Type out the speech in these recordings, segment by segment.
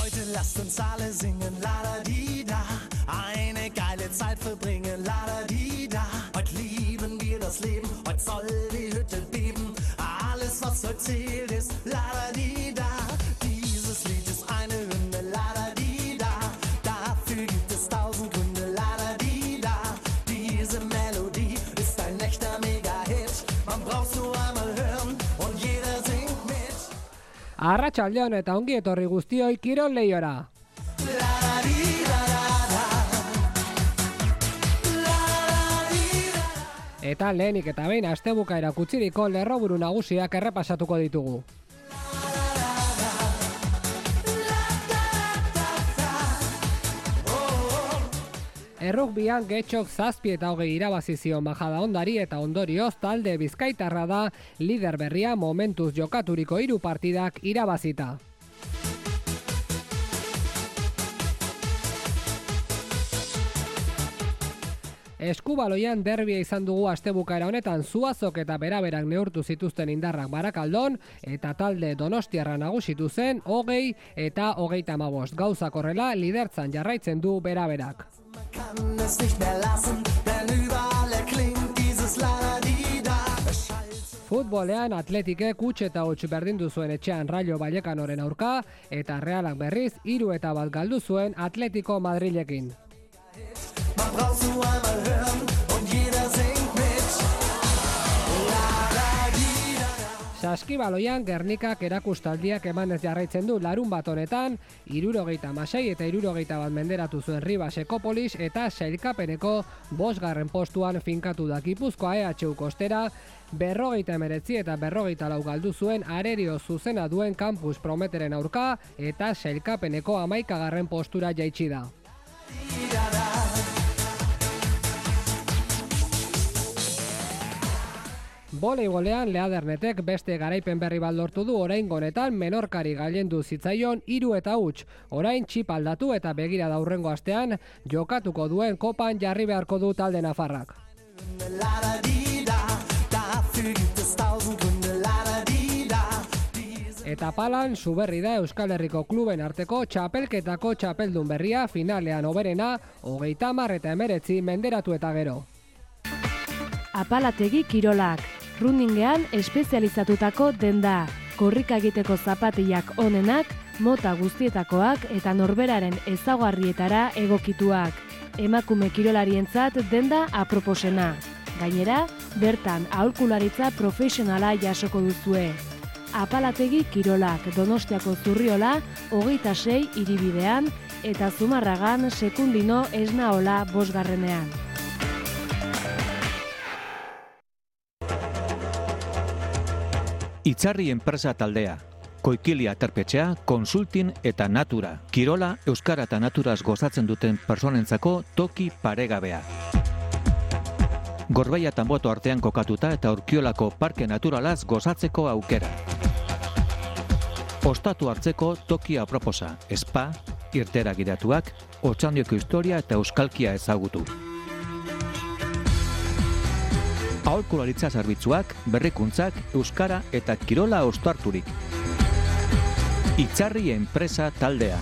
Heute lasst uns alle singen, la-da-di-da. Eine geile Zeit verbringen, la-da-di-da. Heute lieben wir das Leben, heute soll die Hütte beben. Alles, was heute zählt, ist la-da-di-da. Dieses Lied ist eine Hymne, la-da-di-da. Dafür gibt es 1000 Gründe, la-da-di-da. Diese Melodie ist ein echter Mega-Hit. Man braucht's nur einmal hören und jeder singt mit. Arratsaldeon eta ongi etorri guztioi Kirol Leiora. Eta lehenik eta behin astebukaera kutsiriko lerroburu nagusiak errepasatuko ditugu. Errugbian Getxok 7 eta 20 irabazi zion Majadahondari eta ondorioz talde bizkaitarra da lider berria momentuz jokaturiko 3 partidak irabazita. Eskubaloian derbia izan dugu astebukaera honetan Zuazok eta Beraberak neurtu zituzten indarrak Barakaldon eta talde Donostiarra nagusitu zen 20 eta 35. Gauzak horrela lidertzan jarraitzen du Beraberak. Futbolean Atletikek huts eta huts berdindu zuen etxean Rayo Vallecanoren aurka eta Realak berriz 3 eta 1 galdu zuen Atletico Madrilekin. Saskibaloian Gernikak erakustaldiak emanez jarraitzen du larunbat honetan, 76 eta 61 menderatu zuen Ribas Ekopolis eta sailkapeneko 5. postuan finkatu da Gipuzkoa EHU Kostera, 59 eta 44 galdu zuen Arerio zuzena duen Campus Prometeren aurka eta sailkapeneko 11. postura jaitsi da. Voleibolean Leadernetek beste garaipen berri bat lortu du oraingo honetan Menorkari gailendu zitzaion 3 eta huts. Orain txip aldatu eta begira da hurrengo astean jokatuko duen kopan jarri beharko du talde nafarrak. Eta palan Zuberri da Euskal Herriko kluben arteko txapelketako txapeldun berria finalean hoberena 30 eta 19 menderatu eta gero. Apalategi kirolak. Runningean espezializatutako denda, korrika egiteko zapatiak onenak, mota guztietakoak eta norberaren ezaugarrietara egokituak. Emakume kirolarientzat denda aproposena. Gainera, bertan aholkularitza profesionala jasoko duzue. Apalategi kirolak Donostiako Zurriola 26 hiribidean eta Zumarragan Sekundino Esnaola 5. Itzarri enpresa taldea, Koikili Aterpetxea, Konsultin eta Natura. Kirola, euskara eta naturaz gozatzen duten personentzako toki paregabea. Gorbeia eta Anboto artean kokatuta eta Urkiolako parke naturalaz gozatzeko aukera. Ostatu hartzeko toki aproposa, spa, irtera gidatuak, Otxandioko historia eta euskalkia ezagutu. Aholkularitza zerbitzuak, berrikuntzak, euskara eta kirola ostarturik. Itzarri enpresa taldea.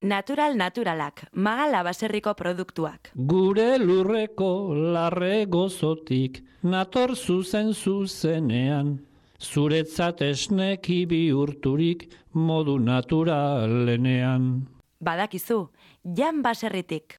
Naturalak, Magala baserriko produktuak. Gure lurreko larre gozotik, nator zuzenean. Zuretzat esneki bihurturik, modu naturalenean. Badakizu, Jan baserritik.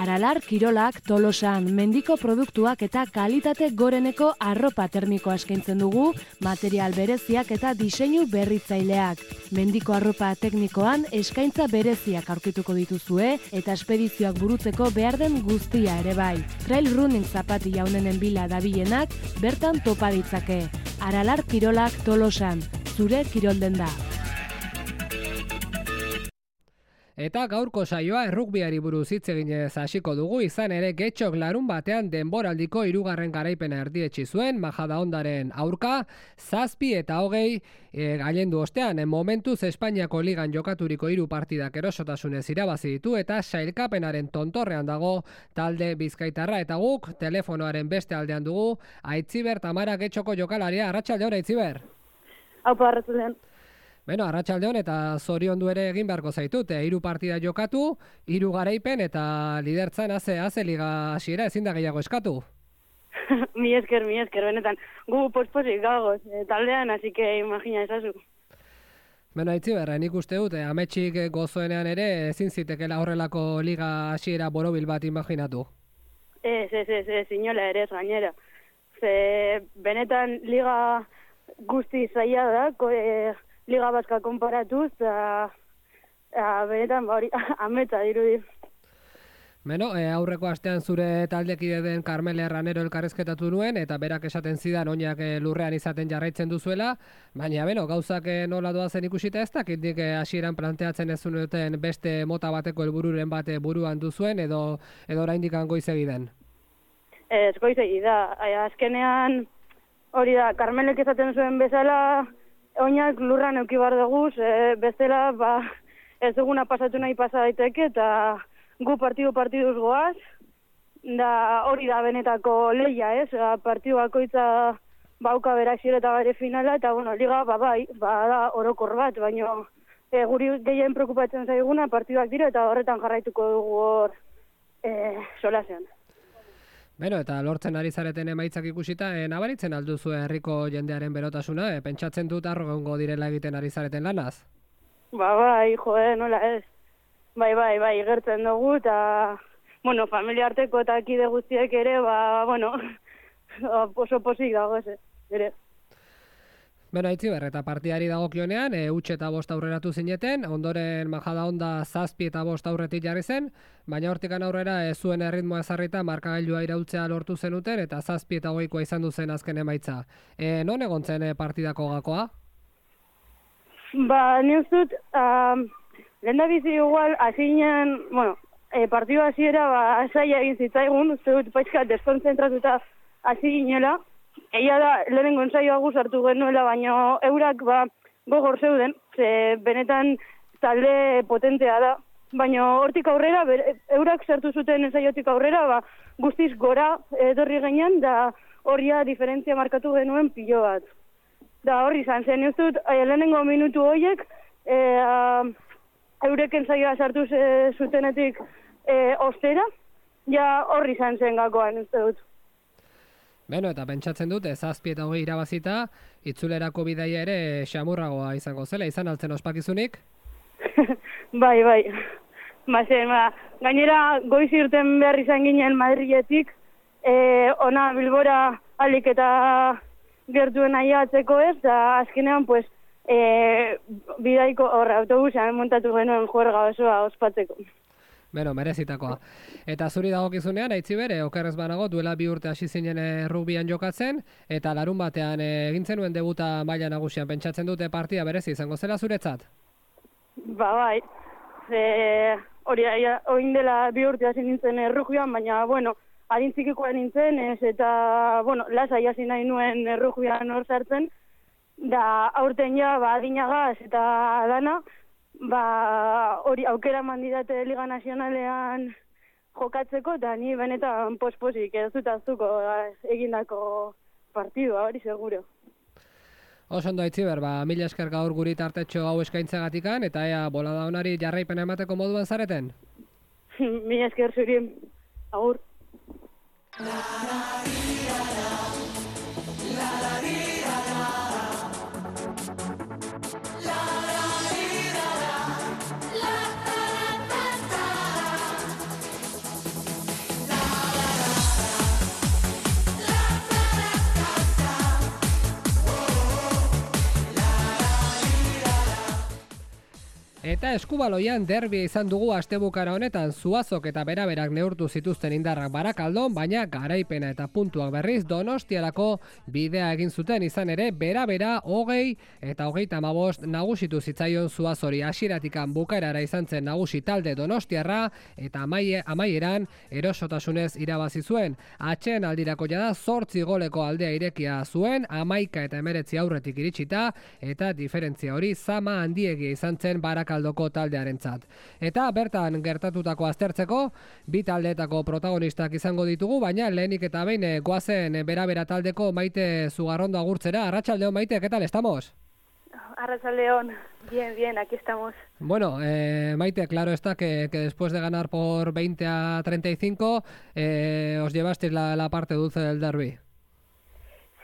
Aralar kirolak Tolosan mendiko produktuak eta kalitate goreneko arropa termikoa eskaintzen dugu, material bereziak eta diseinu berritzaileak. Mendiko arropa teknikoan eskaintza bereziak aurkituko dituzue eta espedizioak burutzeko behar den guztia ere bai. Trail running zapati jaunenen bila dabilenak bertan topa ditzake. Aralar kirolak Tolosan, zure kirolden da. Eta gaurko saioa errugbiari buruz hitz eginez hasiko dugu, izan ere Getxok larun batean denboraldiko 3. garaipena erdietsi zuen Majadahondaren aurka, 7 eta 20 gailendu ostean, momentuz Espainiako ligan jokaturiko 3 partidak erosotasunez irabazi ditu eta sailkapenaren tontorrean dago talde bizkaitarra, eta guk telefonoaren beste aldean dugu Aitziber Tamara Getxoko jokalaria. Arratsaldeon, Aitziber. Aupa arratsaldean. Beno, arratsaldeon eta zoriondu ere egin beharko zaitut. 3 partida jokatu, 3 garaipen eta lidertzan haze liga hasiera ezin da gehiago eskatu. Mi esker, benetan. Gu posposik gagoz, taldean, así que imagina ezazu. Beno, Aitziber, nik uste dut, ametsik gozoenean ere ezin zitekela horrelako liga hasiera borobil bat imaginatu. Ez, inola ere ez gainera. Ze benetan liga guzti zaila da, liga baska konparatuz, benetan hori ametsa dirudi. Beno, aurreko astean zure taldekide den Carmele Herranero elkarrezketatu nuen, eta berak esaten zidan oinak lurrean izaten jarraitzen duzuela, baina beno, gauzak nola doazen ikusita ez dakit hasieran planteatzen ez duten beste mota bateko helbururen bat buruan duzuen, edo oraindik goizegi den? Ez goizegi da, azkenean hori da, Carmelek esaten zuen bezala, oinak lurran euki bar duguz, bestela ez duguna pasatu nahi pasa daiteke, eta gu partiduz goaz, da hori da benetako lehia, ez? Partidu bakoitza bauka bere hasiera eta bere finala, eta bueno, liga da orokor bat, baina guri gehien preokupatzen zaiguna partiduak dira eta horretan jarraituko dugu hor solasean. Beno, eta lortzen ari zareten emaitzak ikusita, nabaritzen alduzu herriko jendearen berotasuna, pentsatzen dut arro egongo direla egiten ari zareten lanaz? Bai, nola ez. Bai, gertzen dugu, eta, bueno, familia arteko eta kide guztiek ere, oso posik dago ere. Beno, Aitziber, eta partidari dagokionean, 8 eta 5 aurreratu zineten, ondoren Majadahonda 7 eta 5 aurretik jarri zen, baina hortikan aurrera zuen erritmoa ezarrita markagailua iraultzea lortu zenuten, eta 7 eta 8 izan duzen azken emaitza. Non egon zen partidako gakoa? Ni ustut, lehendabizi igual, hasinen, partidu hasiera zaila egin zitzaigun, uste dut paitzka deskonzentratuta hasi ginela. Egia da, lehenengo ensaioa guzartu genuela, baina eurak gogor zeuden, ze benetan talde potentea da. Baina hortik aurrera, eurak sartu zuten ensaiotik aurrera, guztiz gora etorri gainean, da horria diferentzia markatu genuen pilo bat. Da horri izan zen, ez dut, lehenengo minutu horiek, eurek ensaioa sartu zutenetik ostera, ja horri izan zen gakoan, ez dut. Beno, eta pentsatzen dut, 7 eta 8 irabazita, itzulerako bidaia ere xamurragoa izango zela, izan altzen ospakizunik? Bai. Gainera, goiz irten behar izan ginen Madriletik, ona Bilbora alik eta gertuen aiatzeko ez, da azkenean, bidaiko autobusean montatu genuen juerga osoa ospatzeko. Beno, merezitakoa. Eta zuri dagokizunean, Aitziber, okerrez banago, duela 2 urte hasi zinen rugbian jokatzen, eta larun batean egin zenuen debuta maila nagusian, pentsatzen dute partida berezi izango zela zuretzat? Bai. Oin dela 2 urte hasi nintzen rugbian, baina, adintzikikoa nintzen, eta, lasai hasi nahi nuen rugbian hor sartzen, da aurten ja, adinagaz eta dana, hori aukera mandidate Liga Nazionalean jokatzeko, eta ni benetan posposik ez dut aztuko egindako partidua, hori seguro. Oso ondo, Aitziber, mila esker gaur guri tartetxo hau eskaintzagatikan, eta ea bolada honari jarraipena emateko moduan zareten? Mila esker zuri, agur. Eta Eskubaloian derbia izan dugu astebukara honetan, Zuazok eta Beraberak neurtu zituzten indarrak Barakaldon, baina garaipena eta puntuak berriz Donostiarako bidea egin zuten, izan ere Berabera 20 eta 35 nagusitu zitzaion Zuazori. Hasieratikan bukaerara izan zen nagusi talde Donostiarra eta amaieran erosotasunez irabazi zuen. Atxeen aldirako jada 8 goleko aldea irekia zuen, 11 eta 19 aurretik iritsita, eta diferentzia hori zama handiegia izan zen Barakaldoko taldearentzat. Eta bertan gertatutako aztertzeko, bi taldeetako protagonistak izango ditugu, baina lehenik eta behin goazen Berabera taldeko Maite Zugarrondo agurtzera. Arratsaldeon, Maite, ¿qué tal estamos? Arratsaldeon, bien, aquí estamos. Bueno, Maite, claro está que después de ganar por 20-35 os llevasteis la parte dulce del derbi.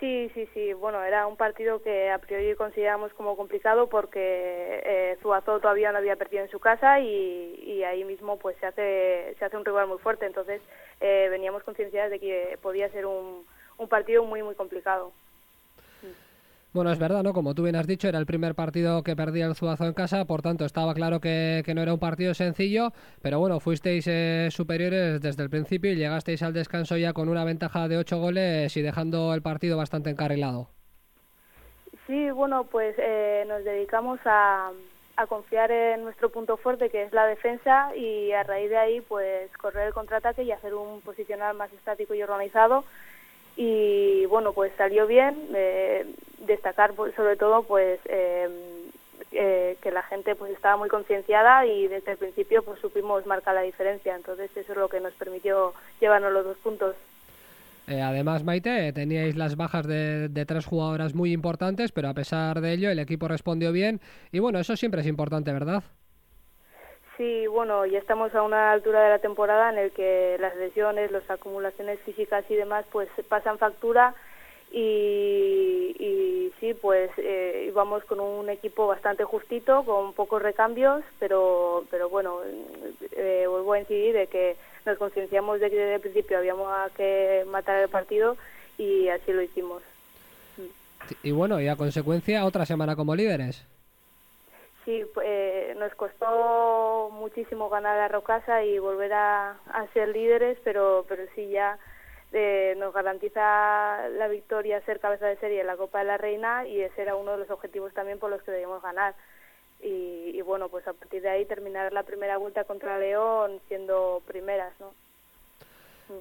Sí, bueno, era un partido que a priori consideramos como complicado porque Zuazo todavía no había perdido en su casa y ahí mismo pues se hace un rival muy fuerte, entonces veníamos concienciados de que podía ser un partido muy complicado. Bueno, es verdad, ¿no? Como tú bien has dicho, era el primer partido que perdía el Zuazo en casa, por tanto estaba claro que no era un partido sencillo, pero bueno, fuisteis superiores desde el principio y llegasteis al descanso ya con una ventaja de 8 goles y dejando el partido bastante encarrilado. Sí, bueno, pues nos dedicamos a confiar en nuestro punto fuerte, que es la defensa, y a raíz de ahí pues correr el contraataque y hacer un posicional más estático y organizado. Y bueno, pues salió bien, destacar sobre todo pues que la gente pues estaba muy concienciada y desde el principio pues supimos marcar la diferencia, entonces eso es lo que nos permitió llevarnos los 2 puntos. Además, Maite, teníais las bajas de 3 jugadoras muy importantes, pero a pesar de ello el equipo respondió bien y bueno, eso siempre es importante, ¿verdad? Sí, bueno, ya estamos a una altura de la temporada en el que las lesiones, las acumulaciones físicas y demás pues pasan factura y sí, pues íbamos con un equipo bastante justito, con pocos recambios, pero bueno, vuelvo a incidir de que nos concienciamos de que desde el principio habíamos que matar el partido y así lo hicimos. Y bueno, y a consecuencia otra semana como líderes. Sí, nos costó muchísimo ganar a Rocasa y volver a ser líderes, pero sí ya nos garantiza la victoria ser cabeza de serie en la Copa de la Reina y ese era uno de los objetivos también por los que debíamos ganar. Y bueno, pues a partir de ahí terminar la primera vuelta contra León siendo primeras, ¿no?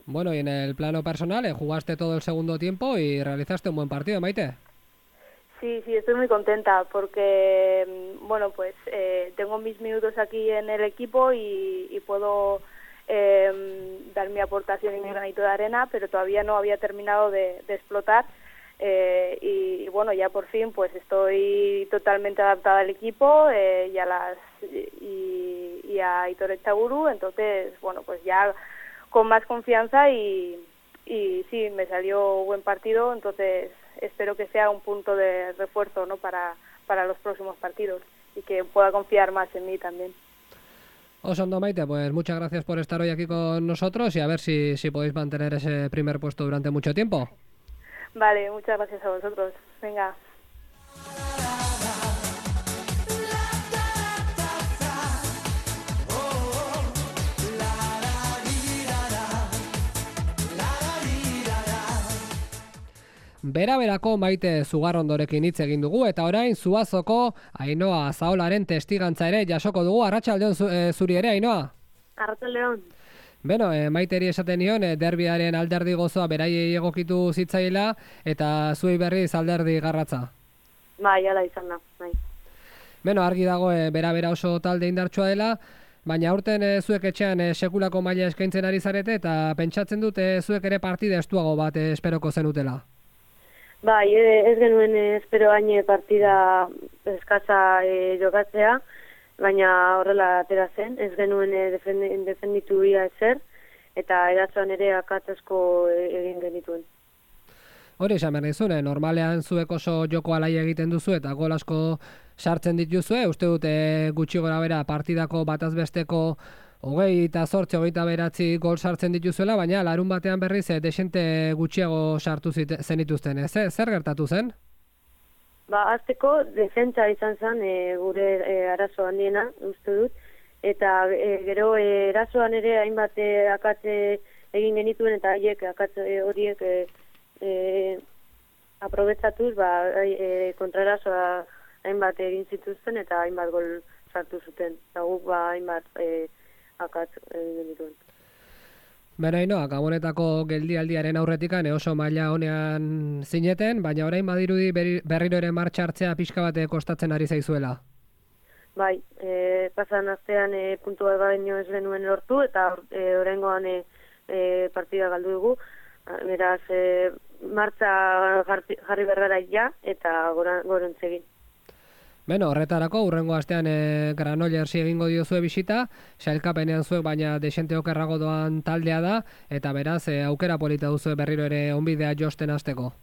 Bueno, y en el plano personal, jugaste todo el segundo tiempo y realizaste un buen partido, Maite. Sí, estoy muy contenta porque, bueno, pues tengo mis minutos aquí en el equipo y puedo dar mi aportación y mi granito de arena, pero todavía no había terminado de explotar y bueno, ya por fin pues estoy totalmente adaptada al equipo y a Aitor Etxaguru, entonces, bueno, pues ya con más confianza y sí, me salió buen partido, entonces espero que sea un punto de refuerzo, ¿no? para los próximos partidos y que pueda confiar más en mí también. Osondo, Maite, pues muchas gracias por estar hoy aquí con nosotros y a ver si podéis mantener ese primer puesto durante mucho tiempo. Vale, muchas gracias a vosotros. Venga. Bera-berako Maite Zugarrondorekin hitz egin dugu eta orain Zuazoko Ainhoa Zaolaren testigantza ere jasoko dugu. Arratsaldeon zuri ere, Ainhoa. Arratsaldeon. Beno, Maiteri esaten nion, derbiaren alderdi gozoa beraiei egokitu zitzaila eta zuei berriz alderdi garratza. Bai, hala izan da, bai. Beno, argi dago bera-bera oso talde indartsua dela, baina aurten zuek etxean sekulako maila eskaintzen ari zarete eta pentsatzen dute zuek ere partida estuago bat esperoko zenutela. Bai, ez genuen espero hain partida eskasa jokatzea, baina horrela atera zen, ez genuen defenditu ia ezer, eta eratzoan ere akatezko egin genituen. Hori esan behar nizun, normalean zuek oso joko alaia egiten duzu eta gol asko sartzen dituzue, uste dute gutxi gora bera partidako batazbesteko 28-29 gol sartzen dituzuela, baina larun batean berriz desente gutxiago sartu zenituzten. Zer gertatu zen? Azteko defentsa izan zen gure arazo handiena, uste dut, eta gero erasoan ere hainbat akatze egin genituen eta akatze horiek aprobetsatuz kontraerasoa hainbat egin zituzten eta hainbat gol sartu zuten. Eta guk hainbat akatz egin genituen. Beno, Ainhoa, Gabonetako geldialdiaren aurretikan oso maila honean zineten, baina orain badirudi berriro ere martxa hartzea pixka bate kostatzen ari zaizuela. Bai, pasan astean puntua baino ez genuen lortu eta oraingoan partida galdu dugu. Beraz, martxa jarri bergara ja eta gorentzegin. Beno, horretarako, hurrengo astean Granollersi egingo diozue bisita, sailkapenean zuek baina desente okerrago doan taldea da, eta beraz, aukera polita duzue berriro ere onbidea josten hasteko.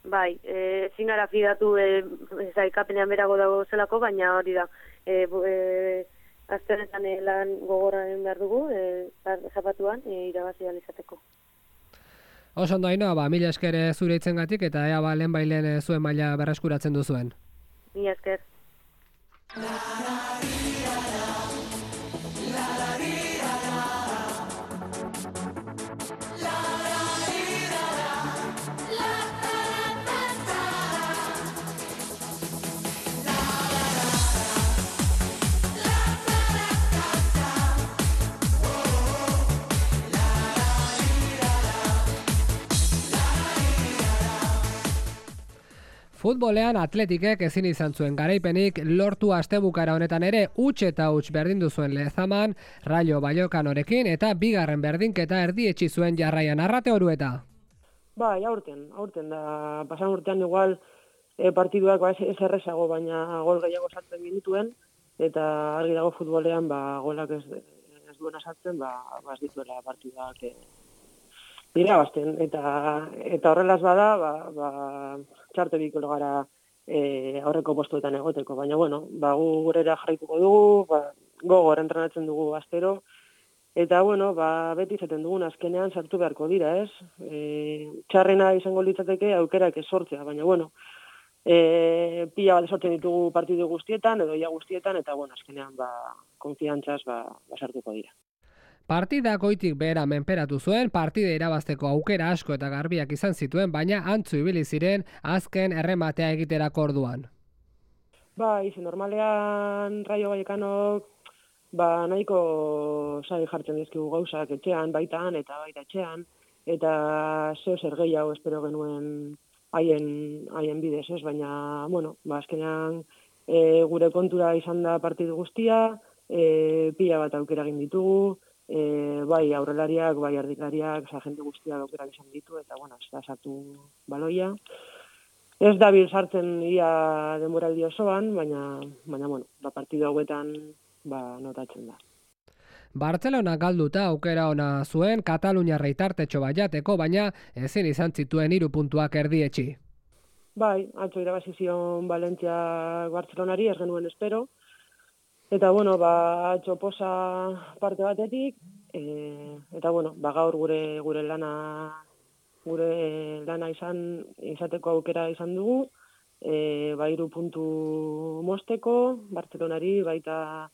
Bai, ezin gara fidatu sailkapenean berago dago zelako, baina hori da. Aste honetan lan gogorraren behar dugu, zapatuan, irabazi izateko. Oso ondo Ainhoa, mila esker zure hitzengatik eta ea lehen bailen zuen maila berreskuratzen duzuen. Mila esker. Futbolean Atletikek ezin izan zuen garaipenik lortu astebukara honetan ere huts eta huts berdindu zuen Lezaman, Rayo Vallecanorekin eta bigarren berdinketa erdietsi zuen Jarraian. Arrate Orueta. Bai, aurten da, pasan urtean igual partiduak ez errezago, baina gol gehiago sartzen minutuen, eta argi dago futbolean golak ez duena sartzen, ez dituela partiduak irabazten, eta horrelaz bada, txarte bikolo gara aurreko postuetan egoteko, baina bueno, gu gurera jarraituko dugu, gogor entrenatzen dugu astero, eta bueno, beti izaten dugun azkenean sartu beharko dira, ez? Txarrena izango litzateke aukerak ez sortzea, baina bueno, pila bat sortzen ditugu partidu guztietan, edo ia guztietan, eta bueno, azkenean konfiantzaz sartuko dira. Partida goitik behera menperatu zuen, partida irabazteko aukera asko eta garbiak izan zituen, baina antzu ibili ziren azken errematea egiterako orduan. Normalean Rayo Vallecanok nahiko sai jartzen dizkigu gauzak etxean, baitan eta baita etxean, eta zer gehiago espero genuen haien bidez, ez? Baina, bueno, azkenean gure kontura izan da partidu guztia, pila bat aukera egin ditugu, bai aurrelariak, bai erdilariak, jende guztiak aukerak izan ditu, eta bueno, ez da sartu baloia. Ez dabil sartzen ia denboraldi osoan, baina bueno, partidu hauetan notatzen da. Bartzelona galduta aukera ona zuen Kataluniarrei tartetxo bat jateko, baina ezin izan zituen 3 puntuak erdietsi. Bai, atzo irabazi zion Valentzia Bartzelonari, ez genuen espero. Eta bueno, atzo posa parte batetik, eta bueno, gaur gure lana izateko aukera izan dugu, 3 puntu mosteko, Bartzelonari baita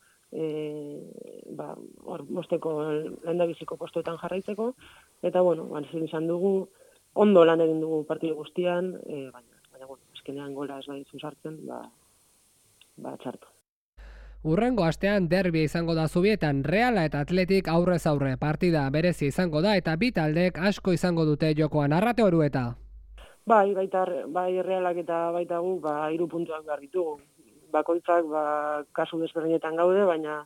mosteko lehendabiziko postuetan jarraitzeko, eta bueno, izan dugu, ondo lan egin dugu partidu guztian, baina bueno, azkenean gola ez badizu sartzen, txartu. Hurrengo astean derbia izango da Zubietan, Reala eta Atletik aurrez aurre, partida berezi izango da eta bi taldek asko izango dute jokoan. Arrate Orueta. Bai Realak eta baita gu 3 puntuak behar ditugu. Bakoitzak kasu desberdinetan gaude, baina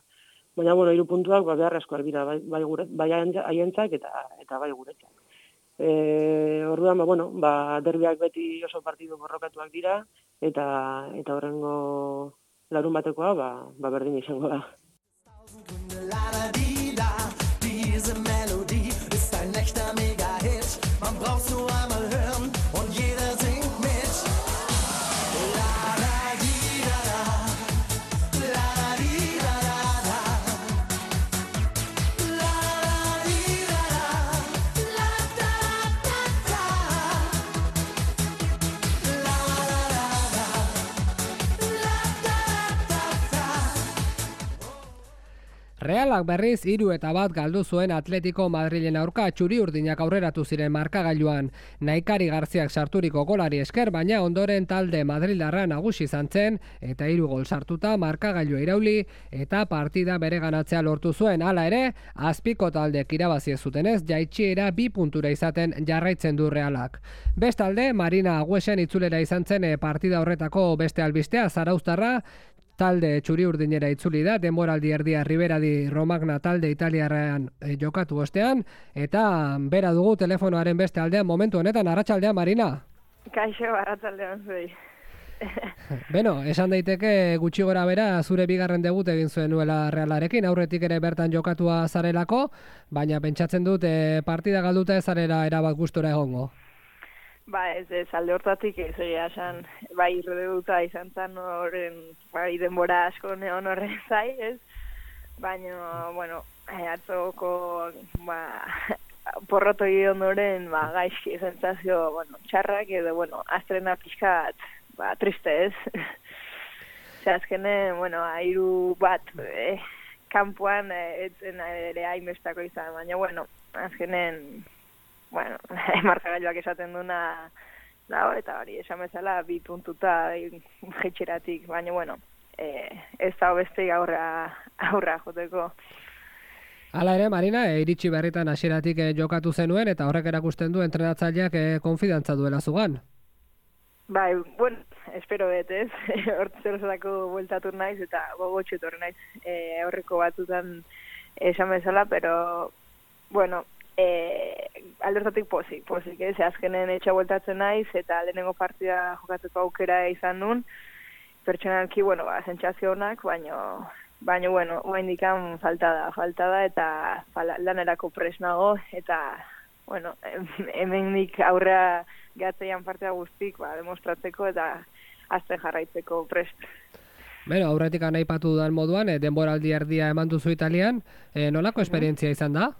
bueno, 3 puntuak beharrezkoak dira, bai haientzak eta bai guretzak. Orduan, derbiak beti oso partidu borrokatuak dira, eta horrengo larun batekoa, berdin izango da. Diese Melodie ist ein echter Mega-Hit. Man braucht's nur einmal hören und jeder singt mit. La la di da da, la la di da da da, la la di da da, la da da da, la la da da, la da da da. Realak berriz 3-1 galdu zuen Atletico Madrilen aurka, txuri-urdinak aurreratu ziren markagailuan. Naikari Garziak sarturiko golari esker, baina ondoren talde madrildarra nagusi izan zen, eta 3 gol sartuta markagailua irauli eta partida bereganatzea lortu zuen. Hala ere, azpiko taldek irabazi ez zutenez, jaitsiera 2 puntura izaten jarraitzen du Realak. Bestalde, Marina Agüesen itzulera izan zen partida horretako beste albistea, Zarauztarra, talde txuri-urdinera itzuli da, denboraldi erdia Riberadi Romagna talde italiarrean jokatu ostean, eta bera dugu telefonoaren beste aldean momentu honetan. Arratsaldean, Marina. Kaixo, arratsaldean zuei. Beno, esan daiteke gutxi gora bera zure bigarren debut egin zuen nuela Realarekin, aurretik ere bertan jokatua zarelako, baina pentsatzen dut partida galduta ez zarela erabat gustora egongo. Ba, ez alde hortatik ez egia esan, bai debuta izan zen horren, bai denbora asko neon horren zai, ez? Baina, bueno, atzoko, porroto ondoren, gaizki sensazio, txarrak, edo, astrena pixkat, triste ez. Azkenen, airu bat, kanpoan, etzen ere hainbestako izan, baina, azkenen, markagailuak esaten duna dago, eta hori, esan bezala, 2 puntuta jetxeratik, baina, ez da beste aurra joteko. Hala ere, Marina, iritsi berritan hasieratik jokatu zenuen, eta horrek erakusten du entrenatzaileak konfidantza duela zugan. Bai, espero dut, ez? Hortzerozatako bueltatu naiz, eta gogotxetu horre naiz aurreko batzutan esan bezala, pero, aldertatik pozik, ez? Azkenen etxa bueltatzen naiz, eta lehenengo partida jokatzeko aukera izan nun, pertsonalki, sentsazio honak, baina, oaindikan falta da, eta lanerako presnago, eta, hemendik aurrea gehatzeian partida guztik, demostratzeko eta azten jarraitzeko prest. Beno, aurretik aipatu dudan moduan, denboraldi erdia eman duzu Italian, nolako esperientzia izan da?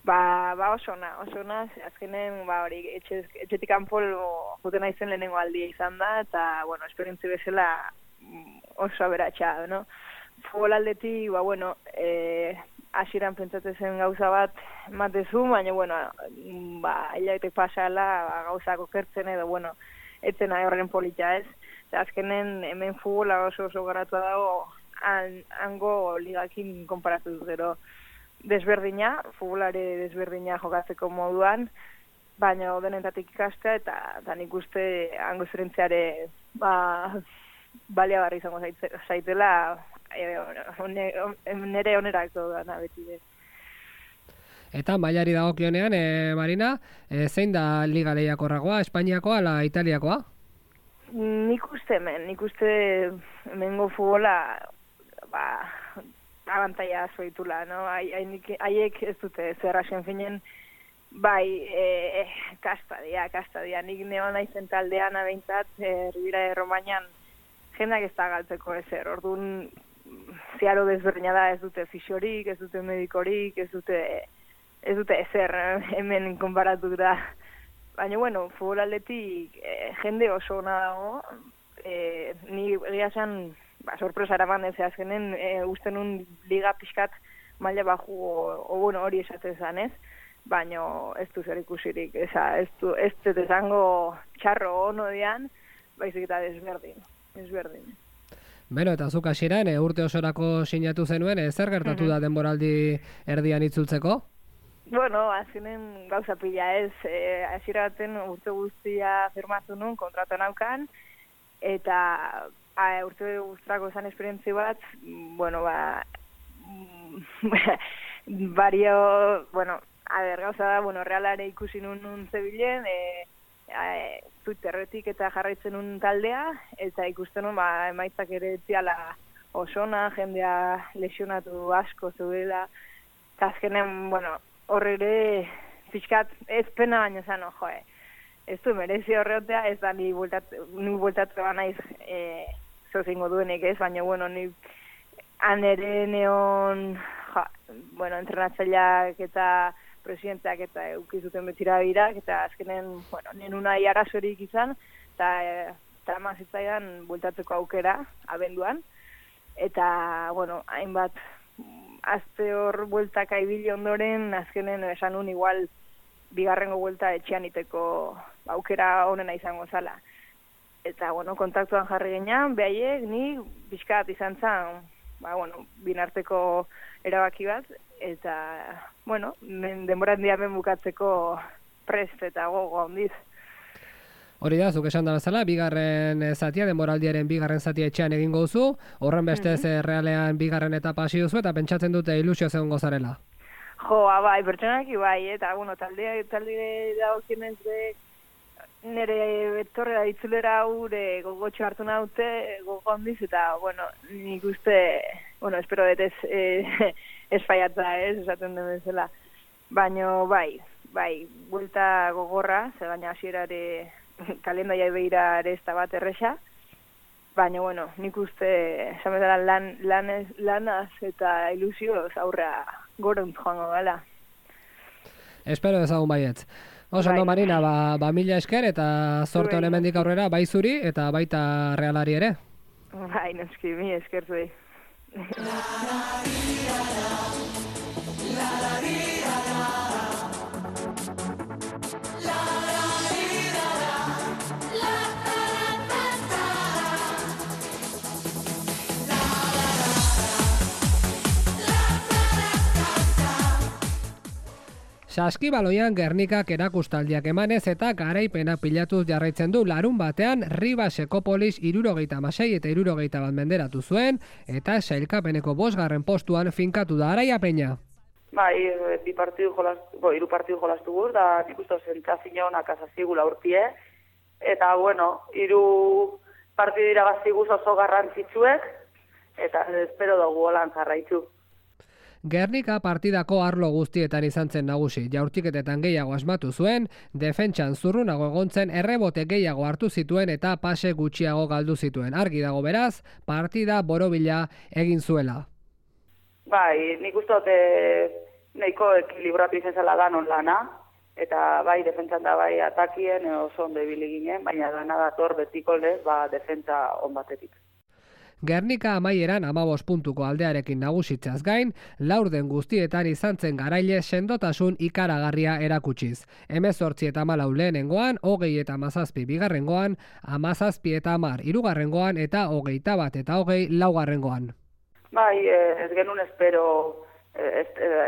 Oso ona, azkenen, hori, etxetik kanpo juten naizen lehenengo aldia izan da, eta, esperientzia bezala oso aberatsa, no? Futbol aldetik, hasieran pentsatzen zen gauza bat matezu, baina, hilabetek pasala gauzako kertzen edo, etzen horren polita ez. Azkenen hemen futbola oso garatua dago, hango ligakin konparatu gero desberdina, futbolare desberdina jokatzeko moduan, baina denetatik ikastea, eta nik uste hango zerentziare baliagarri izango zaitela, nere onerako dana beti de. Eta mailari dagokionean, Marina, zein da liga lehiakorragoa, Espainiakoa ala Italiakoa? Nik uste hemengo futbola abantaia zoitula, no? Haiek ez dute zerrasen finen, kasta dia. Nik neon naizen taldean abeintzat, Ribera de Romañan, jendak ez da galtzeko ezer, orduan ziaro desberdina da, ez dute fisiorik, ez dute medikorik, ez dute ezer hemen konparatu da. Baina, futbol aldetik jende oso ona dago, ni egia esan, sorpresa eraman ez azkenen, uste nun liga pixkat maila baju, hori esaten zan ez, baina ez du zer ikusirik, ez dut esango txarro ono dian, baizik eta desberdin. Beno, eta zuk hasieran urte osorako sinatu zenuen, zer gertatu da denboraldi erdian itzultzeko? Azkenen gauza pila ez, hasiera baten urte guztia firmatu nun, kontratu naukan, eta urte guztrako zan esperientzi bat, gauza da, Realare ikusi nun zebilen, Twitterretik eta jarraitzen nun taldea, eta ikusten nun, emaitzak ere etziala osona, jendea lesionatu asko zeudela, eta azkenen, horre pixkat ez pena baino zan, ez du merezi horreotea, ez da ni bueltatu naiz zozingo duenik ez, baina, ni han ere neon, entrenatzaileak eta presidenteak eta eukizuten betira birak, eta azkenen, nenunai arazorik izan, eta trama zitzaidan bueltatzeko aukera, abenduan, eta, hainbat, azte hor bueltak aibili ondoren, azkenen esan nun igual bigarrengo buelta etxean iteko aukera honena izango zala. Eta, kontaktuan jarri genean, behaiek, ni bizkat izan zan, binarteko erabaki bat, eta, denboran diamen bukatzeko prest eta gogo handiz. Hori da, zuk esan da bezala, bigarren zatia, denboraldiaren bigarren zatia etxean egingo duzu, horren bestez Realean bigarren etapa hasi duzu, eta pentsatzen dute ilusio zegoen gozarela. Pertsonaki bai, eta, talde dagokienez de nire betorrera ditzulera gure gogotxo hartu naute gogo handiz, eta, bueno, nik uste, bueno, espero dut ez faiatza, esaten den bezala. Baina, bai, buelta gogorra, ze baina hasierare kalendaia beira ere ez da bat erresa, baina, bueno, nik uste, esan bezala lanaz eta ilusioz aurra goront joango gala. Espero ezagun baiet. Oso, no, Marina, mila esker eta zorte honen mendik aurrera, bai zuri eta baita Realari ere. Bai, noski, mi esker zuei. Saskibaloian Gernikak erakustaldiak emanez eta garaipena pilatuz jarraitzen du. Larun batean Ribas Ekopolis 76 eta 61 menderatu zuen eta sailkapeneko 5. postuan finkatu da. Araia Peña. Bai, hiru partidu jolastu guz, da nik uste sentsazio onak azazigula urtie. Eta, bueno, 3 partidu irabazi guz oso garrantzitsuek, eta espero dugu holan jarraitu. Gernika partidako arlo guztietan izan zen nagusi. Jaurtiketetan gehiago asmatu zuen, defentsan zurrunago egontzen, errebote gehiago hartu zituen eta pase gutxiago galdu zituen. Argi dago beraz, partida borobila egin zuela. Bai, nik uste dut nahiko ekilibratu izan zela danon lana, eta bai defentsan da bai atakien oso ondo ibili ginen, baina dana dator betiko lez, defentsa on batetik. Gernika amaieran 15 puntuko aldearekin nagusitzaz gain, laurden guztietan izan zen garaile sendotasun ikaragarria erakutsiz. 18 eta 14 lehenengoan, 20 eta 17 bigarrengoan, 17 eta 10 hirugarrengoan eta 21 eta 20 laugarrengoan. Bai, ez genuen espero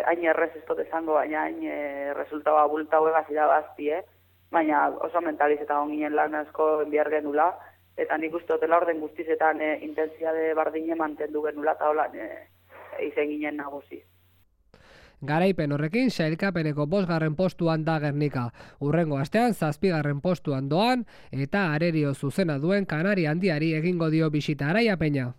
hain errez ez dut esango, baina hain resultaba bulta huegaz irabazti, baina oso mentalizeta onginen lan asko enbiar genula, eta nik uste dutela orden guztizetan intensiade bardine mantendu genula eta holan izen ginen nagusi. Garaipen horrekin sailkapeneko 5. postuan da Gernika. Hurrengo astean 7. postuan doan eta arerio zuzena duen Kanari handiari egingo dio bisita. Araia Peña.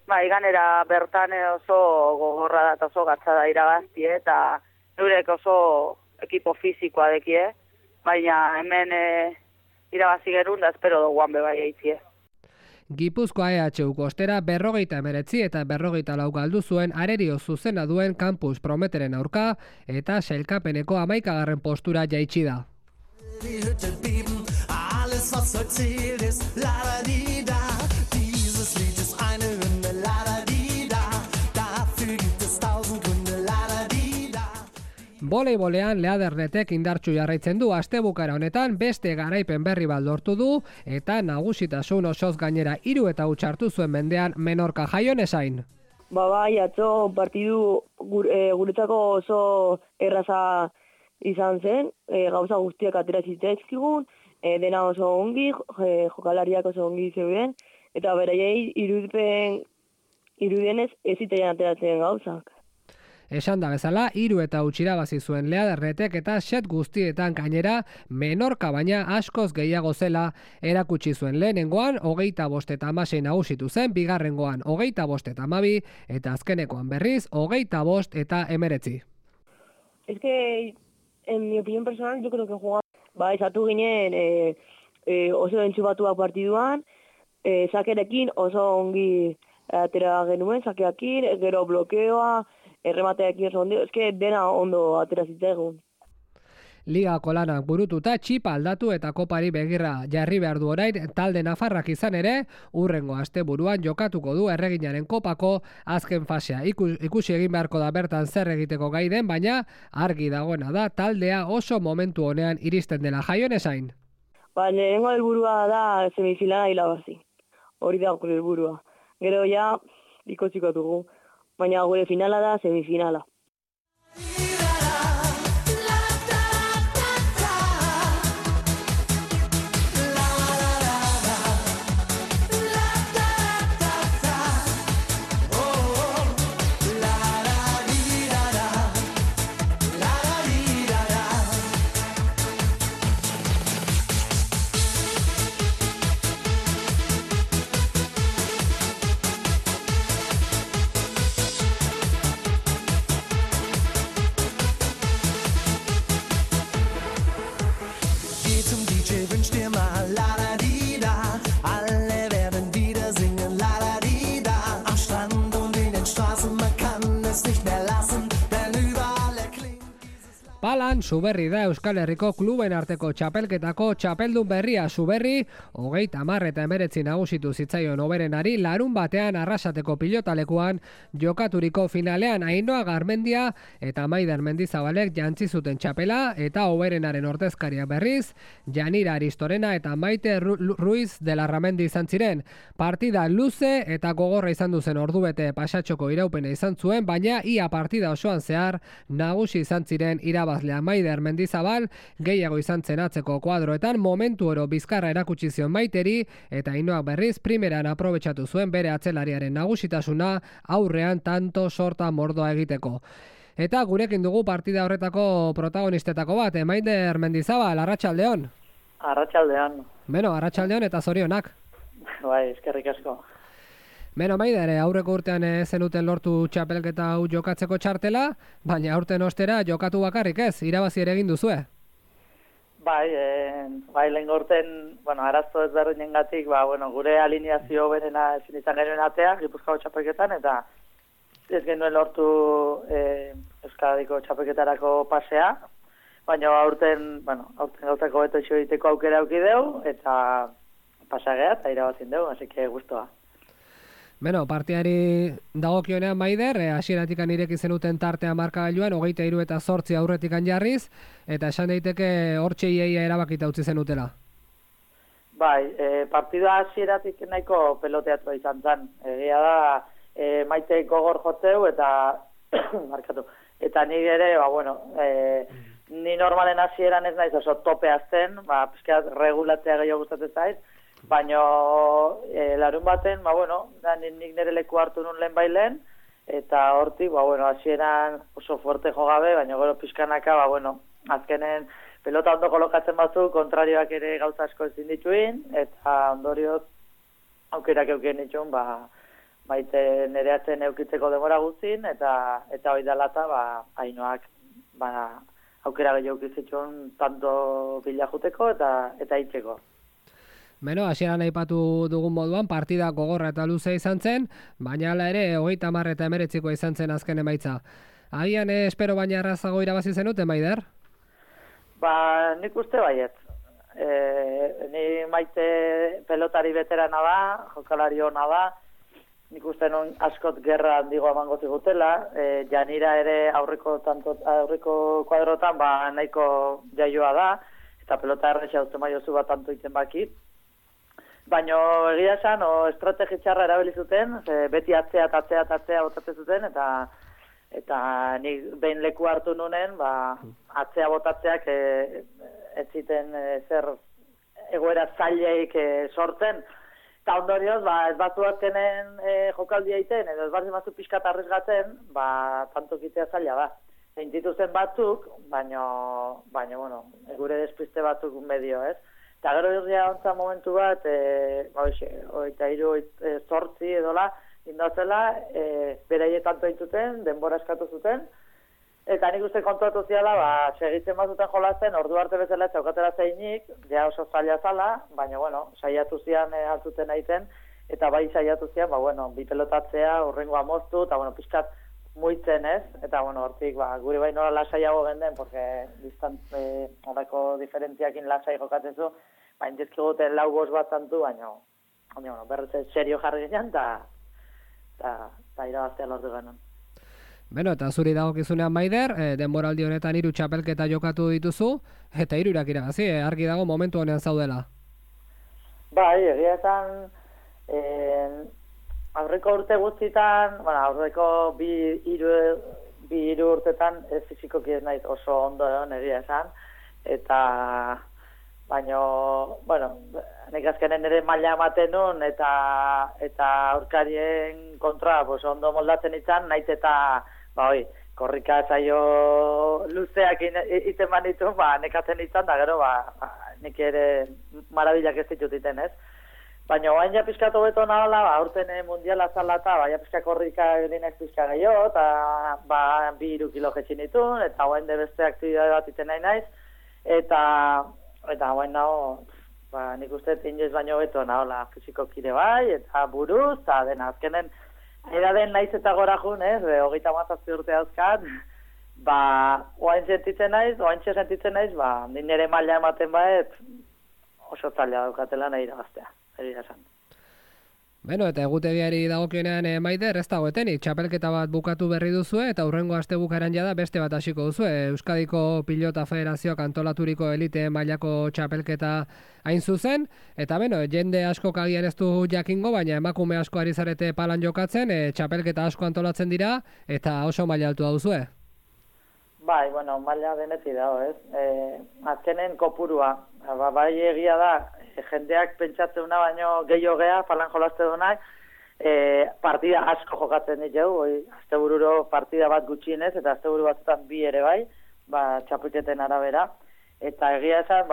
Bai, ganera bertan oso gogorra da eta oso gatza da irabazti, eta eurek oso ekipo fizikoa dekie, baina hemen irabazi gerun da espero duguan bebai eitzie. Gipuzkoa EHUko ostera 59 eta 44 galdu zuen arerio zuzena duen Campus Prometeren aurka eta sailkapeneko 11. postura jaitsi da. Alles was erzählt ist, la di da. Dieses Lied ist eine Hymne, la di da. Dafür gibt es 1000 Gründe, la di da. Voleibolean Leadernetek indartsu jarraitzen du. Astebukara honetan beste garaipen berri bat lortu du eta nagusitasun osoz gainera 3 eta huts hartu zuen mendean Menorka. Jaion esain. Bai, atzo partidu guretzako oso erraza izan zen, gauza guztiak atera zitzaizkigun, dena oso ongi, jokalariak oso ongi zeuden, eta beraiei irudienez ez zitaian ateratzen gauzak. Esan da bezala, 3 eta huts irabazi zuen Leadernetek eta set guztietan gainera Menorka baina askoz gehiago zela erakutsi zuen. Lehenengoan 25 eta 16 nagusitu zen, bigarrengoan 25 eta 12 eta azkenekoan berriz 25 eta 19. Es que, en mi opinión personal, yo creo que jugaba... Esatu ginen oso entzubatuak partiduan, sakerekin oso ongi atera genuen, sakeakin, gero blokeoa, erremateakin oso ondo, eske dena ondo atera zitzaigun. Ligako lanak burututa txipa aldatu eta kopari begirra jarri behar du orain talde nafarrak izan ere, hurrengo asteburuan jokatuko du erreginaren kopako azken fasea. Ikusi egin beharko da bertan zer egiteko gai den, baina argi dagoena da taldea oso momentu honean iristen dela. Jaion esain. Lehenengo helburua da semifinala irabazi. Hori da gure helburua. Gero ja ikusiko dugu, baina gure finala da semifinala. Palan, Zuberri da Euskal Herriko kluben arteko txapelketako txapeldun berria. Zuberri, 30 eta 19 nagusitu zitzaion Oberenari larun batean Arrasateko pilotalekuan jokaturiko finalean. Ainhoa Garmendia eta Maider Mendizabalek jantzi zuten txapela eta Oberenaren ordezkaria berriz, Janira Aristorena eta Maite Ruiz de la Ramendi izan ziren. Partida luze eta gogorra izan duzen ordubete pasatxoko iraupena izan zuen, baina ia partida osoan zehar nagusi izan ziren irabazlea Maider Mendizabal, gehiago izan zen atzeko kuadroetan, momentu oro bizkarra erakutsi zion Maiteri eta Ainhoak berriz primeran aprobetxatu zuen bere atzelariaren nagusitasuna aurrean tanto sorta mordoa egiteko. Eta gurekin dugu partida horretako protagonistetako bat, Maider Mendizabal, arratsaldeon. Arratsaldeon. Beno, arratsaldeon eta zorionak. Bai, eskerrik asko. Beno, Maider, aurreko urtean zenuten lortu txapelketa hau jokatzeko txartela, baina aurten ostera jokatu bakarrik ez, irabazi ere egin duzue. Bai, lehen urten, arazo ezberdinengatik, gure alineazio berena ezin izan genuen atea, Gipuzkoako txapelketan, eta ez genuen lortu Euskadiko txapelketarako pasea, baina aurten gauzako beto iso egiteko aukera aukideu, eta pasagea, eta irabazin deu, así que guztua. Beno, partiari dagokionean Maider, hasieratik ireki zenuten tartea markagailuan, 23 eta 8 aurretik jarriz, eta esan daiteke hortxe iaia erabakita utzi zenutela. Bai, partida hasieratik nahiko peloteatua izan zen. Egia da, Maite gogor jotzeu eta markatu. Eta nik ere, ni normalen hasieran ez naiz oso tope azten, pizkat regulatzea gehiago gustatzen zait, baina larun baten, nik nire leku hartu nun lehen bailen, eta hortik, hasieran oso fuerte jo gabe, baina gero pizkanaka, azkenen pelota ondo kolokatzen batzu, kontrarioak ere gauza asko ezin dituin, eta ondorioz aukerak euken ditun, Maite nire atzen eukitzeko demora guztin, eta hori dalata, Ainhoak, aukera gehiago eukitzitun tanto bila juteko eta itxeko. Beno, hasieran aipatu dugun moduan, partida gogorra eta luze izan zen, baina hala ere 30 eta 19 izan zen azken emaitza. Agian espero baina errazago irabazi zenute, Maider? Nik uste baiet. Ni Maite pelotari veterana da, jokalari hona da, nik uste non askot gerra handigo emango zigutela, Janira ere aurreko kuadrotan nahiko jaioa da, eta pelota erresa uste maiozu bat tanto iten baki. Baina egia esan, estrategi txarra erabili zuten, beti atzea botatzen zuten, eta nik behin leku hartu nunen, atzea botatzeak ez ziten zer egoera zaileik sortzen. Eta ondorioz, ez batzu azkenen jokaldia iten, edo ez batzu pixkat arrizgatzen, tanto kitea zaila da. Zeintitu zen batzuk, baina, gure despiste batzuk medio, ez? Eta gero irria ontzan momentu bat, 23-8 edola, indatzela, beraie tanto dituten, denbora eskatu zuten, eta nik uste kontuatu ziala, segitzen bazuten jolazen, ordu arte bezala txaukatera zeinik, ja oso zaila zala, baina, saiatu zian altzuten aiten, eta bai saiatu zian, bi pelotatzea, urrengoa moztu, eta, pixkat muitzen ez, eta, hortik, guri bai nola lasaiago genden, porque horreko diferentziakin lasai jokatzen zu, baina dizkiguten lau bost bat zantu, baina, berretze serio jarri ginen, eta irabaztea lortu genuen. Beno, eta zuri dagokizunean Maider, denboraldi honetan 3 txapelketa jokatu dituzu, eta 3 irabazi, argi dago momentu honean zaudela. Bai, egia esan, aurreko urte guztitan, aurreko bi hiru urtetan fizikoki ez naiz oso ondo egon egia esan, eta baina, nik azkenen ere maila ematen nun, eta aurkarien kontra ondo moldatzen izan, naiz eta korrika saio luzeak iten manitu, nekatzen izan, da gero, nik ere marabilak ez ditut iten, ez? Baina oain ja pizkatu beto nahala, aurten mundiala zala eta ja pizka korrika edinez pizka gehiago, eta 2-3 kilo jetxin ditun, eta oain de beste aktibitate bat iten nahi naiz, eta oain nago, nik uste inoiz baino beto nahala fizikokide bai, eta buruz, eta dena azkenen, edaden naiz eta gora jun, 37 urte dauzkat, oaintxe sentitzen naiz, nire maila ematen baet, oso zaila daukatela nahi irabaztea, egia esan. Beno, eta egutegiari dagokionean Maider, ez dagoetenik, txapelketa bat bukatu berri duzue, eta hurrengo astebukaeran jada beste bat hasiko duzue. Euskadiko Pilota Federazioak antolaturiko elite mailako txapelketa hain zuzen, eta beno, jende asko agian ez du jakingo, baina emakume asko ari zarete palan jokatzen, txapelketa asko antolatzen dira, eta oso maila altua duzue. Bai, bueno, maila deneti dago, ez? Azkenen kopurua, bai egia da, jendeak pentsatzen baino gehiago gea, palan jolaste dunak, partida asko jokatzen ditugu, astebururo partida bat gutxienez, eta asteburu batzutan bi ere bai, txapelketen arabera. Eta egia esan,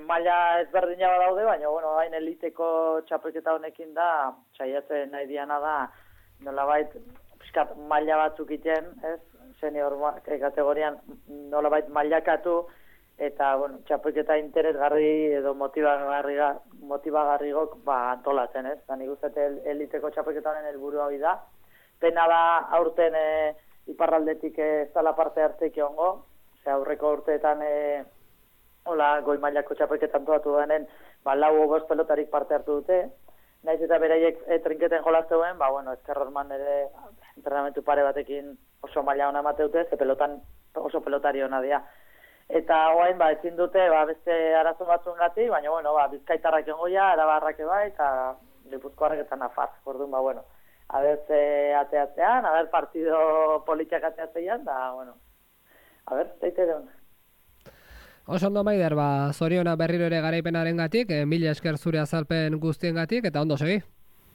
maila ezberdina badaude, baina, hain eliteko txapelketa honekin da, saiatzen nahi diana da, nolabait, piskat maila batzuk iten, ez? Senior kategorian nolabait mailakatu, eta, txapelketa interesgarri edo motibagarrigok antolatzen, ez? Nik uste eliteko txapelketa honen helburua hori da. Pena da aurten iparraldetik ez dela parte hartzeik egongo, aurreko urteetan goi mailako txapelketa antolatu denen, 4 o 5 pelotarik parte hartu dute. Naiz eta beraiek trinketen jolazte duen, Ezkerrorman ere entrenamentu pare batekin oso maila hona emate dute, ze pelotan oso pelotari hona dira. Eta oain, ezin dute, beste arazo batzuen gati, baina, Bizkaitarrak jongoia, Arabarrak bai, eta Gipuzkoarrak eta Nafar. Orduan, aber ateatzean, aber partido politiak ateatzean, da, aber, zeite deun. Oso ondo Maider, zoriona berriro ere garaipenaren gatik, mila esker zure azalpen guztien gatik, eta ondo segi.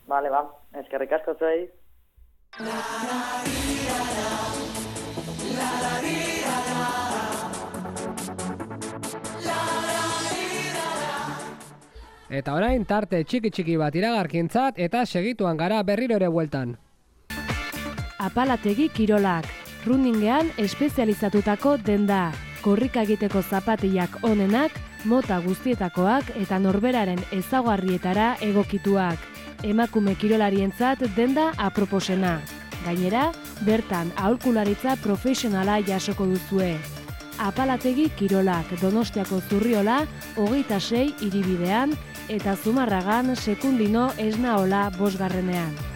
Bale, eskerrik asko zuei. Eta orain tarte txiki bat iragarkintzat eta segituan gara berriro ere bueltan. Apalategi kirolak, runningean espezializatutako denda, korrika egiteko zapatillak onenak, mota guztietakoak eta norberaren ezaugarrietara egokituak. Emakume kirolarientzat denda aproposena. Gainera, bertan aholkularitza profesionala jasoko duzue. Apalategi kirolak, Donostiako Zurriola, 26 hiribidean, eta Zumarragan Sekundino Esnaola 5.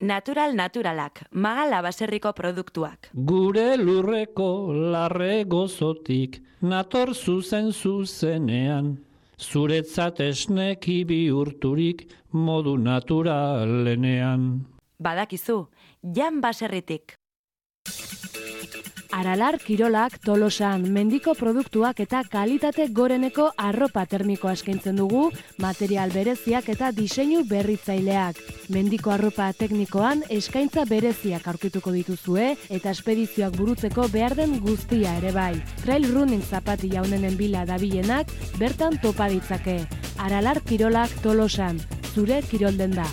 Naturalak, Magala baserriko produktuak. Gure lurreko larre gozotik, nator zuzenean, zuretzat esneki bihurturik modu naturalenean. Badakizu, Jan baserritik. Aralar kirolak Tolosan mendiko produktuak eta kalitate goreneko arropa termikoa eskaintzen dugu, material bereziak eta diseinu berritzaileak. Mendiko arropa teknikoan eskaintza bereziak aurkituko dituzue eta espedizioak burutzeko behar den guztia ere bai. Trail running zapatilla honenen bila dabilenak bertan topa ditzake. Aralar kirolak Tolosan, zure kirolden da.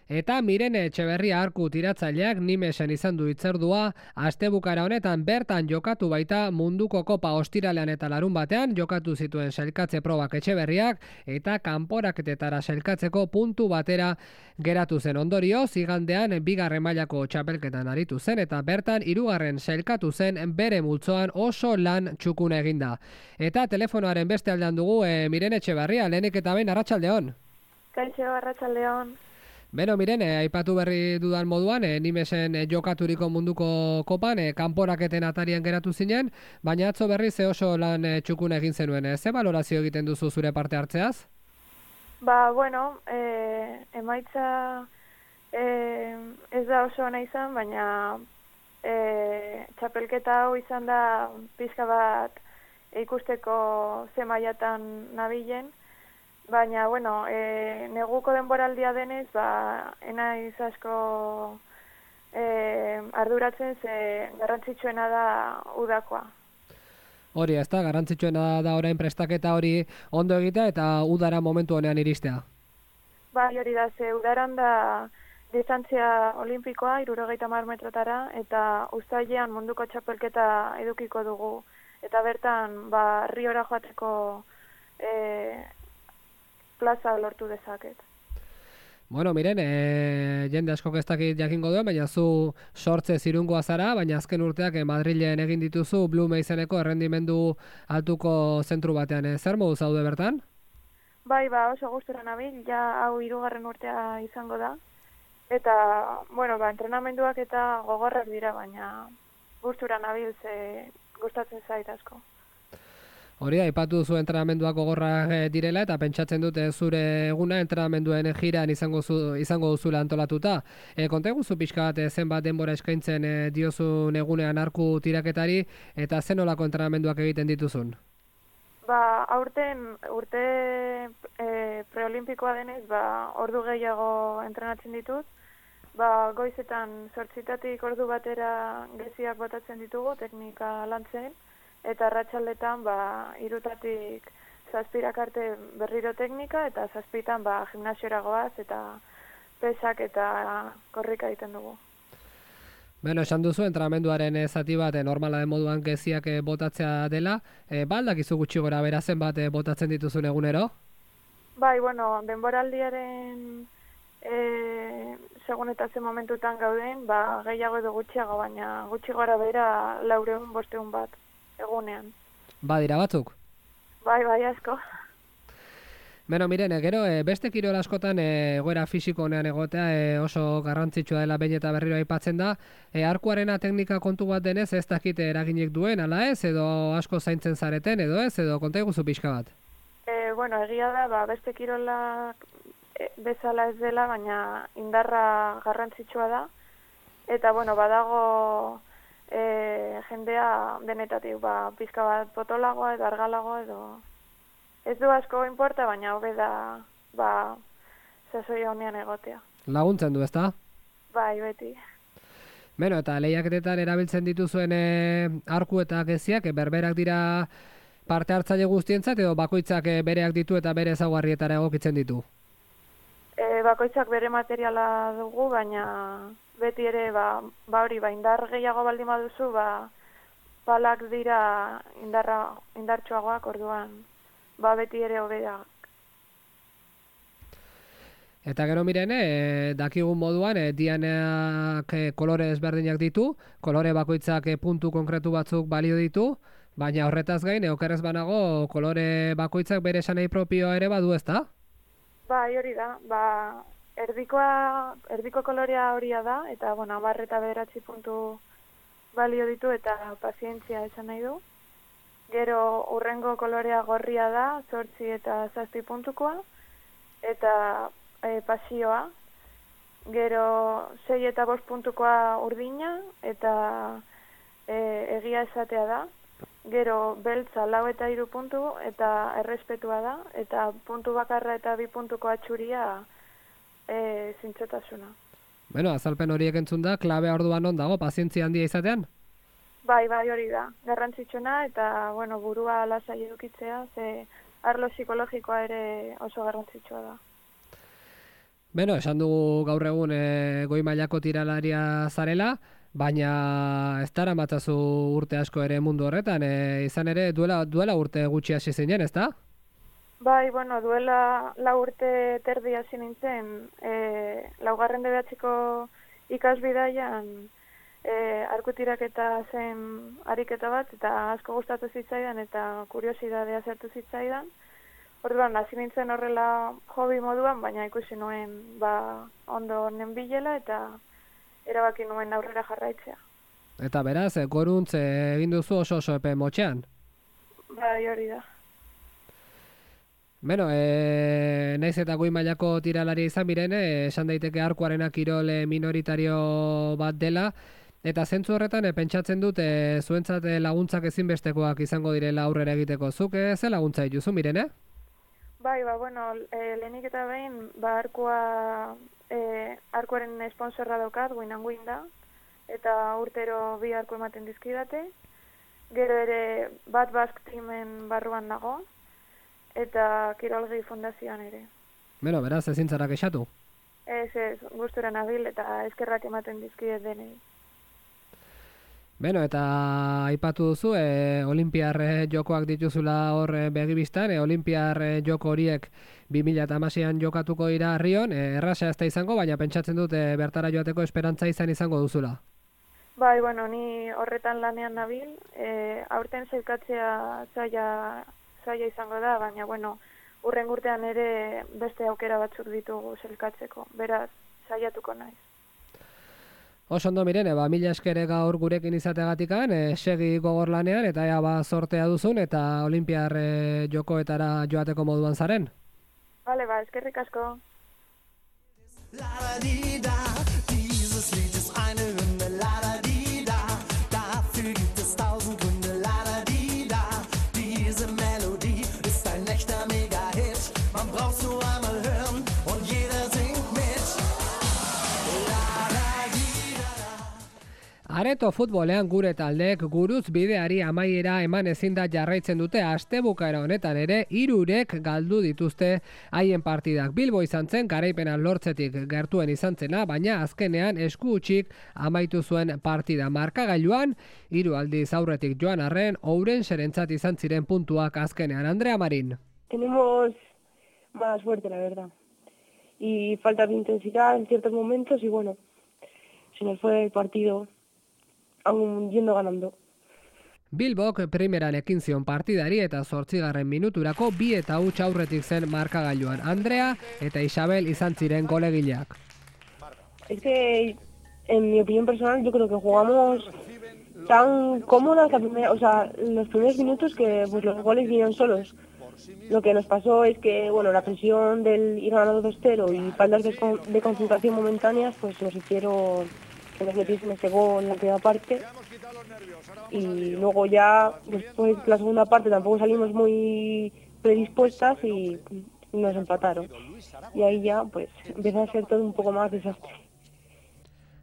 Eta Mirene Etxeberria arku tiratzaileak Nimesen izan du hitzordua, astebukara honetan bertan jokatu baita munduko kopa ostiralean eta larun batean jokatu zituen sailkatze probak Etxeberriak eta kanporaketetara sailkatzeko puntu batera geratu zen. Ondorioz, igandean 2. mailako txapelketan aritu zen eta bertan 3. sailkatu zen bere multzoan oso lan txukuna eginda. Eta telefonoaren beste aldean dugu Mirene Etxeberria, lehenik eta behin arratsaldeon. Kaixo, arratsaldeon. Beno, Mirene, aipatu berri dudan moduan, Nimesen jokaturiko munduko kopan, kanporaketen atarian geratu zinen, baina atzo berri ze oso lan txukuna egin zenuen. Ze balorazio egiten duzu zure parte hartzeaz? Emaitza ez da oso ona izan, baina txapelketa hau izan da pixka bat ikusteko ze mailatan nabilen. Baina, neguko denboraldia denez, enaiz asko arduratzen ze garrantzitsuena da udakoa. Hori, ez da, garrantzitsuena da orain prestaketa hori ondo egitea eta udara momentu honean iristea. Bai, hori da, ze udaran da distantzia olimpikoa, 70 metrotara, eta uztailean munduko txapelketa edukiko dugu. Eta bertan, Riora joateko plaza lortu dezaket. Bueno, miren, jende askok ez dakit jakingo duen, baina zu sortze zirungoa zara, baina azken urteak Madrilen egin dituzu Blume izeneko errendimendu altuko zentru batean. Zer modu zaude bertan? Bai, oso gustura nabil, ja hau 3. urtea izango da. Eta, bueno, entrenamenduak eta gogorrak dira, baina gustura nabil ze gustatzen zait asko. Hori da, aipatu duzu entrenamenduak gogorrak direla eta pentsatzen dute zure eguna entrenamenduen jiran izango duzula antolatuta. Konta eguzu pixka bat zenbat denbora eskaintzen diozun egunean arku tiraketari eta zen olako entrenamenduak egiten dituzun? Aurten urte preolimpikoa denez, ordu gehiago entrenatzen ditut. Goizetan 8 ordu batera geziak botatzen ditugu teknika lantzen, eta arratsaldetan 3 7 arte berriro teknika, eta 7 gimnasiora goaz eta pesak eta korrika egiten dugu. Beno, esan duzu, entrenamenduaren zati bat normala den moduan geziak botatzea dela. Aldakizu gutxi gora bera zenbat botatzen dituzun egunero? Bai, bueno, denboraldiaren segun eta ze momentutan gauden, gehiago edo gutxiago, baina gutxi gora bera 400-500 bat egunean. Dira batzuk? Bai, asko. Beno, miren, gero, beste kirol askotan egoera fisiko honean egotea oso garrantzitsua dela behin eta berriro aipatzen da. Arkuarena teknika kontu bat denez ez dakit eraginik duen, ala ez, edo asko zaintzen zareten, edo ez, edo konta eguzu pixka bat? Bueno, egia da, beste kirolak bezala ez dela, baina indarra garrantzitsua da. Eta, bueno, badago jendea denetatik, pixka bat potolagoa edo argalagoa edo... Ez du asko inporta, baina hobe da, sasoi honean egotea. Laguntzen du, ezta? Bai, beti. Beno, eta lehiaketetan erabiltzen dituzuen arku eta geziak, berberak dira parte hartzaile guztientzat, edo bakoitzak bereak ditu eta bere ezaugarrietara egokitzen ditu? Bakoitzak bere materiala dugu, baina beti ere, indar gehiago baldin baduzu, balak dira indartsuagoak orduan. Beti ere hobeak. Eta gero miren, dakigun moduan, dianeak kolore ezberdinak ditu, kolore bakoitzak puntu konkretu batzuk balio ditu, baina horretaz gain, okerrez banago, kolore bakoitzak bere esanei propioa ere badu, ezta? Bai, hori da. Erdiko kolorea horia da, eta, 10 eta 9 puntu balio ditu, eta pazientzia esan nahi du. Gero urrengo kolorea gorria da, 8 eta 7 puntukoa, eta pasioa. Gero 6 eta 5 puntukoa urdina, eta egia esatea da. Gero beltza 4 eta 3 puntu, eta errespetua da, eta puntu bakarra eta 2 puntuko atxuria zintzotasuna. Bueno, azalpen horiek entzun da, klabea orduan non dago, pazientzia handia izatean? Bai, hori da. Garrantzitsuna eta, burua lasai edukitzea, ze arlo psikologikoa ere oso garrantzitsua da. Beno, esan dugu gaur egun goi mailako tiralaria zarela, baina ez dara matzazu urte asko ere mundu horretan, izan ere duela urte gutxi hasi zinen, ezta? Bai, duela 4 urte terdi hasi nintzen, 4. DBH-ko ikasbidaian, arkutiraketa zen ariketa bat, eta asko gustatu zitzaidan, eta kuriosidadea zertu zitzaidan. Orduan, hasi nintzen horrela hobi moduan, baina ikusi nuen ondo nenbilela, eta erabaki nuen aurrera jarraitzea. Eta beraz, goruntz egin duzu oso epe motxean? Bai, hori da. Beno, naiz eta goi mailako tiralaria izan biren, esan daiteke arkuarena kirol minoritario bat dela, eta zentzu horretan pentsatzen dut zuentzat laguntzak ezinbestekoak izango direla aurrera egiteko. Zuk ze laguntza dituzu, Mirene? Bai, lehenik eta behin, arkuaren esponsorra daukat, guinan da, eta urtero 2 arku ematen dizkidate. Gero ere Bat Basque Teamen barruan nago, eta Kirolgi Fundazioan ere. Beno, beraz, ezin zara kexatu? Ez, gustura nabil eta eskerrak ematen dizkidet denei. Beno, eta aipatu duzu, Olimpiar jokoak dituzula hor begibistan, Olimpiar joko horiek 2016an jokatuko dira Rion, erraza ez da izango, baina pentsatzen dut bertara joateko esperantza izango duzula. Bai, bueno, ni horretan lanean nabil, aurten sailkatzea zaila izango da, baina, bueno, urren urtean ere beste aukera batzuk ditugu sailkatzeko, beraz, saiatuko naiz. Oso ondo Mirene, mila esker gaur gurekin izateagatikan, segi gogor lanean, eta ea sortea duzun, eta Olimpiar jokoetara joateko moduan zaren. Bale, eskerrik asko. Dieses Lied ist eine Hymne, la-da-di-da. Dafür gibt es 1000 Gründe, la-da-di-da. Diese Melodie ist ein echter Mega-Hit. Man braucht's nur einmal hören und jeder singt mit. Areto futbolean gure taldeek guruz bideari amaiera eman ezin da jarraitzen dute astebukaera honetan ere 3 galdu dituzte haien partidak. Bilbo izan zen garaipena lortzetik gertuen izan zena, baina azkenean esku hutsik amaitu zuen partida. Markagailuan 3 aldiz aurretik joan arren, Ourenserentzat izan ziren puntuak azkenean. Andrea Marín. Tenemos mala suerte, la verdad. Y falta de intensidad en ciertos momentos y bueno, se nos fue el partido aún yendo ganando. Bilbok primeran ekin zion partidari eta 8. minuturako 2 eta huts aurretik zen markagailuan. Andrea eta Isabel izan ziren golegileak. Es que, en mi opinión personal, yo creo que jugamos tan cómodas los primeros minutos que pues, los goles vinieron solos. Lo que nos pasó es que, bueno, la presión del ir ganando 2-0 y faltas de concentración momentáneas, pues nos hicieron que nos metiesen ese gol en la primera parte y luego ya después la segunda parte tampoco salimos muy predispuestas y nos empataron y ahí ya pues empezó a ser todo un poco más desastre.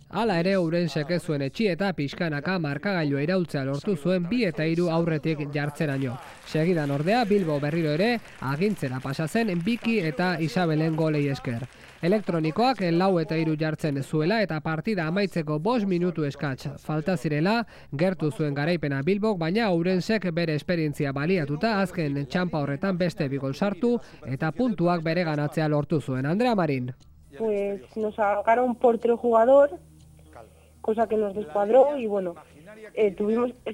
Hala ere Ourensek ez zuen etxi eta pixkanaka markagailua iraultzea lortu zuen 2 eta 3 aurretik jartzeraino. Segidan ordea Bilbo berriro ere agintzera pasa zen Biki eta Isabelen golei esker. Elektronikoak 4 eta 3 jartzen zuela eta partida amaitzeko 5 minutu eskatz falta zirela gertu zuen garaipena Bilbok, baina Ourensek bere esperientzia baliatuta azken txanpa horretan beste 2 gol sartu eta puntuak bere ganatzea lortu zuen. Andrea Marín. Pues nos sacaron por 3 jugadores, cosa que nos descuadró y bueno, es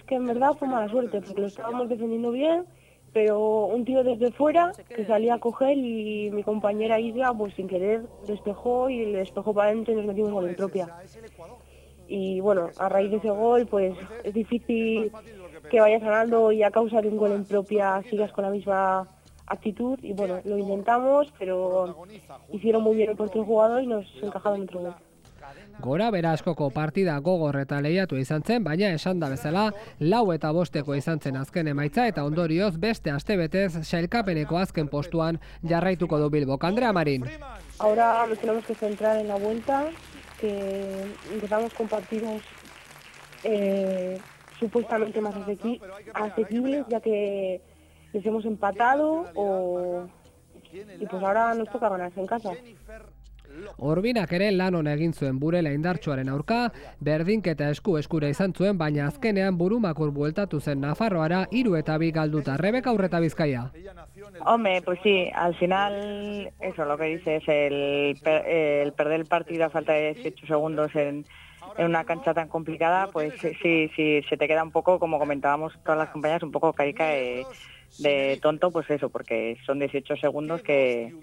que en verdad fue mala suerte porque lo estábamos defendiendo bien, pero un tío desde fuera que salía a coger y mi compañera Isla pues sin querer despejó y le despejó para adentro y nos metimos gol en propia. Y bueno, a raíz de ese gol pues es difícil que vayas ganando y a causa de un gol en propia sigas con la misma actitud y bueno, lo intentamos, pero hicieron muy bien el portero jugador y nos encajaron otro gol. Gora bera askoko partida gogor eta lehiatu izan zen, baina esan da bezala 4 eta 5 izan zen azken emaitza eta ondorioz beste astebetez sailkapeneko azken postuan jarraituko du Bilbok. Andrea Marín. Ahora nos tenemos que centrar en la vuelta, que empezamos con partidos supuestamente más asequibles, ya que les hemos empatado y pues ahora nos toca ganarse en casa. Orbinak ere lan on egin zuen Burela indartsuaren aurka, berdinketa eskura izan zuen, baina azkenean burumakur bueltatu zen Nafarroara 3 eta 2 galduta. Rebeka Urreta Bizkaia. Hombre, pues sí, al final, eso lo que dices, el perder el partido a falta de 18 segundos en una cancha tan complicada, pues sí, se te queda un poco, como comentábamos todas las compañeras, un poco carica de tonto, pues eso, porque son 18 segundos que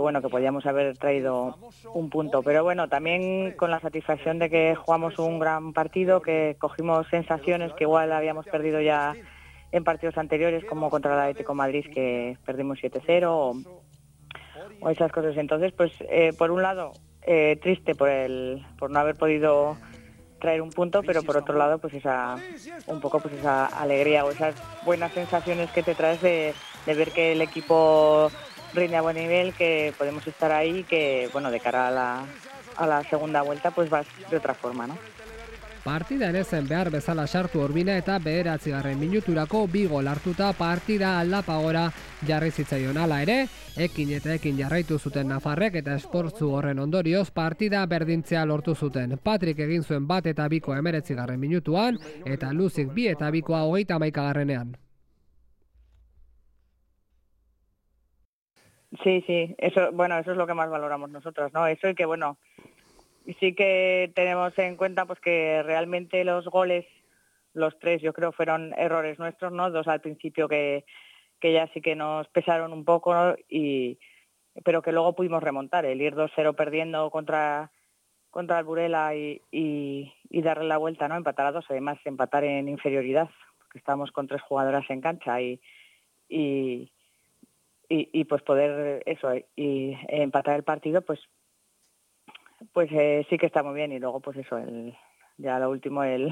bueno, que podíamos haber traído un punto, pero bueno, también con la satisfacción de que jugamos un gran partido, que cogimos sensaciones que igual habíamos perdido ya en partidos anteriores, como contra el Atlético de Madrid, que perdimos 7-0 o esas cosas. Entonces, pues por un lado, triste por no haber podido traer un punto, pero por otro lado, pues esa alegría o esas buenas sensaciones que te traes de ver que el equipo rinde a buen nivel, que podemos estar ahí, que bueno, de cara a la segunda vuelta pues vas de otra forma, ¿no? Partidan ezen behar bezala sartu Urbina eta 9. minuturako 2 gol hartuta partida aldapagora jarri zitzaion. Hala ere, ekin jarraitu zuten nafarrek eta esportzu horren ondorioz partida berdintzea lortu zuten. Patrik egin zuen 1 eta 2 19. minutuan eta Luzik 2 eta 2 31. Sí, eso es lo que más valoramos nosotros, ¿no? Eso y que, bueno, sí que tenemos en cuenta pues que realmente los goles, los 3 yo creo fueron errores nuestros, ¿no? 2 al principio que ya sí que nos pesaron un poco, ¿no? Pero que luego pudimos remontar, el ir 2-0 perdiendo contra el Burela y darle la vuelta, ¿no? Empatar a 2, además empatar en inferioridad, porque estábamos con 3 jugadoras en cancha y pues poder eso y empatar el partido pues sí que está muy bien. Y luego pues eso, ya lo último, el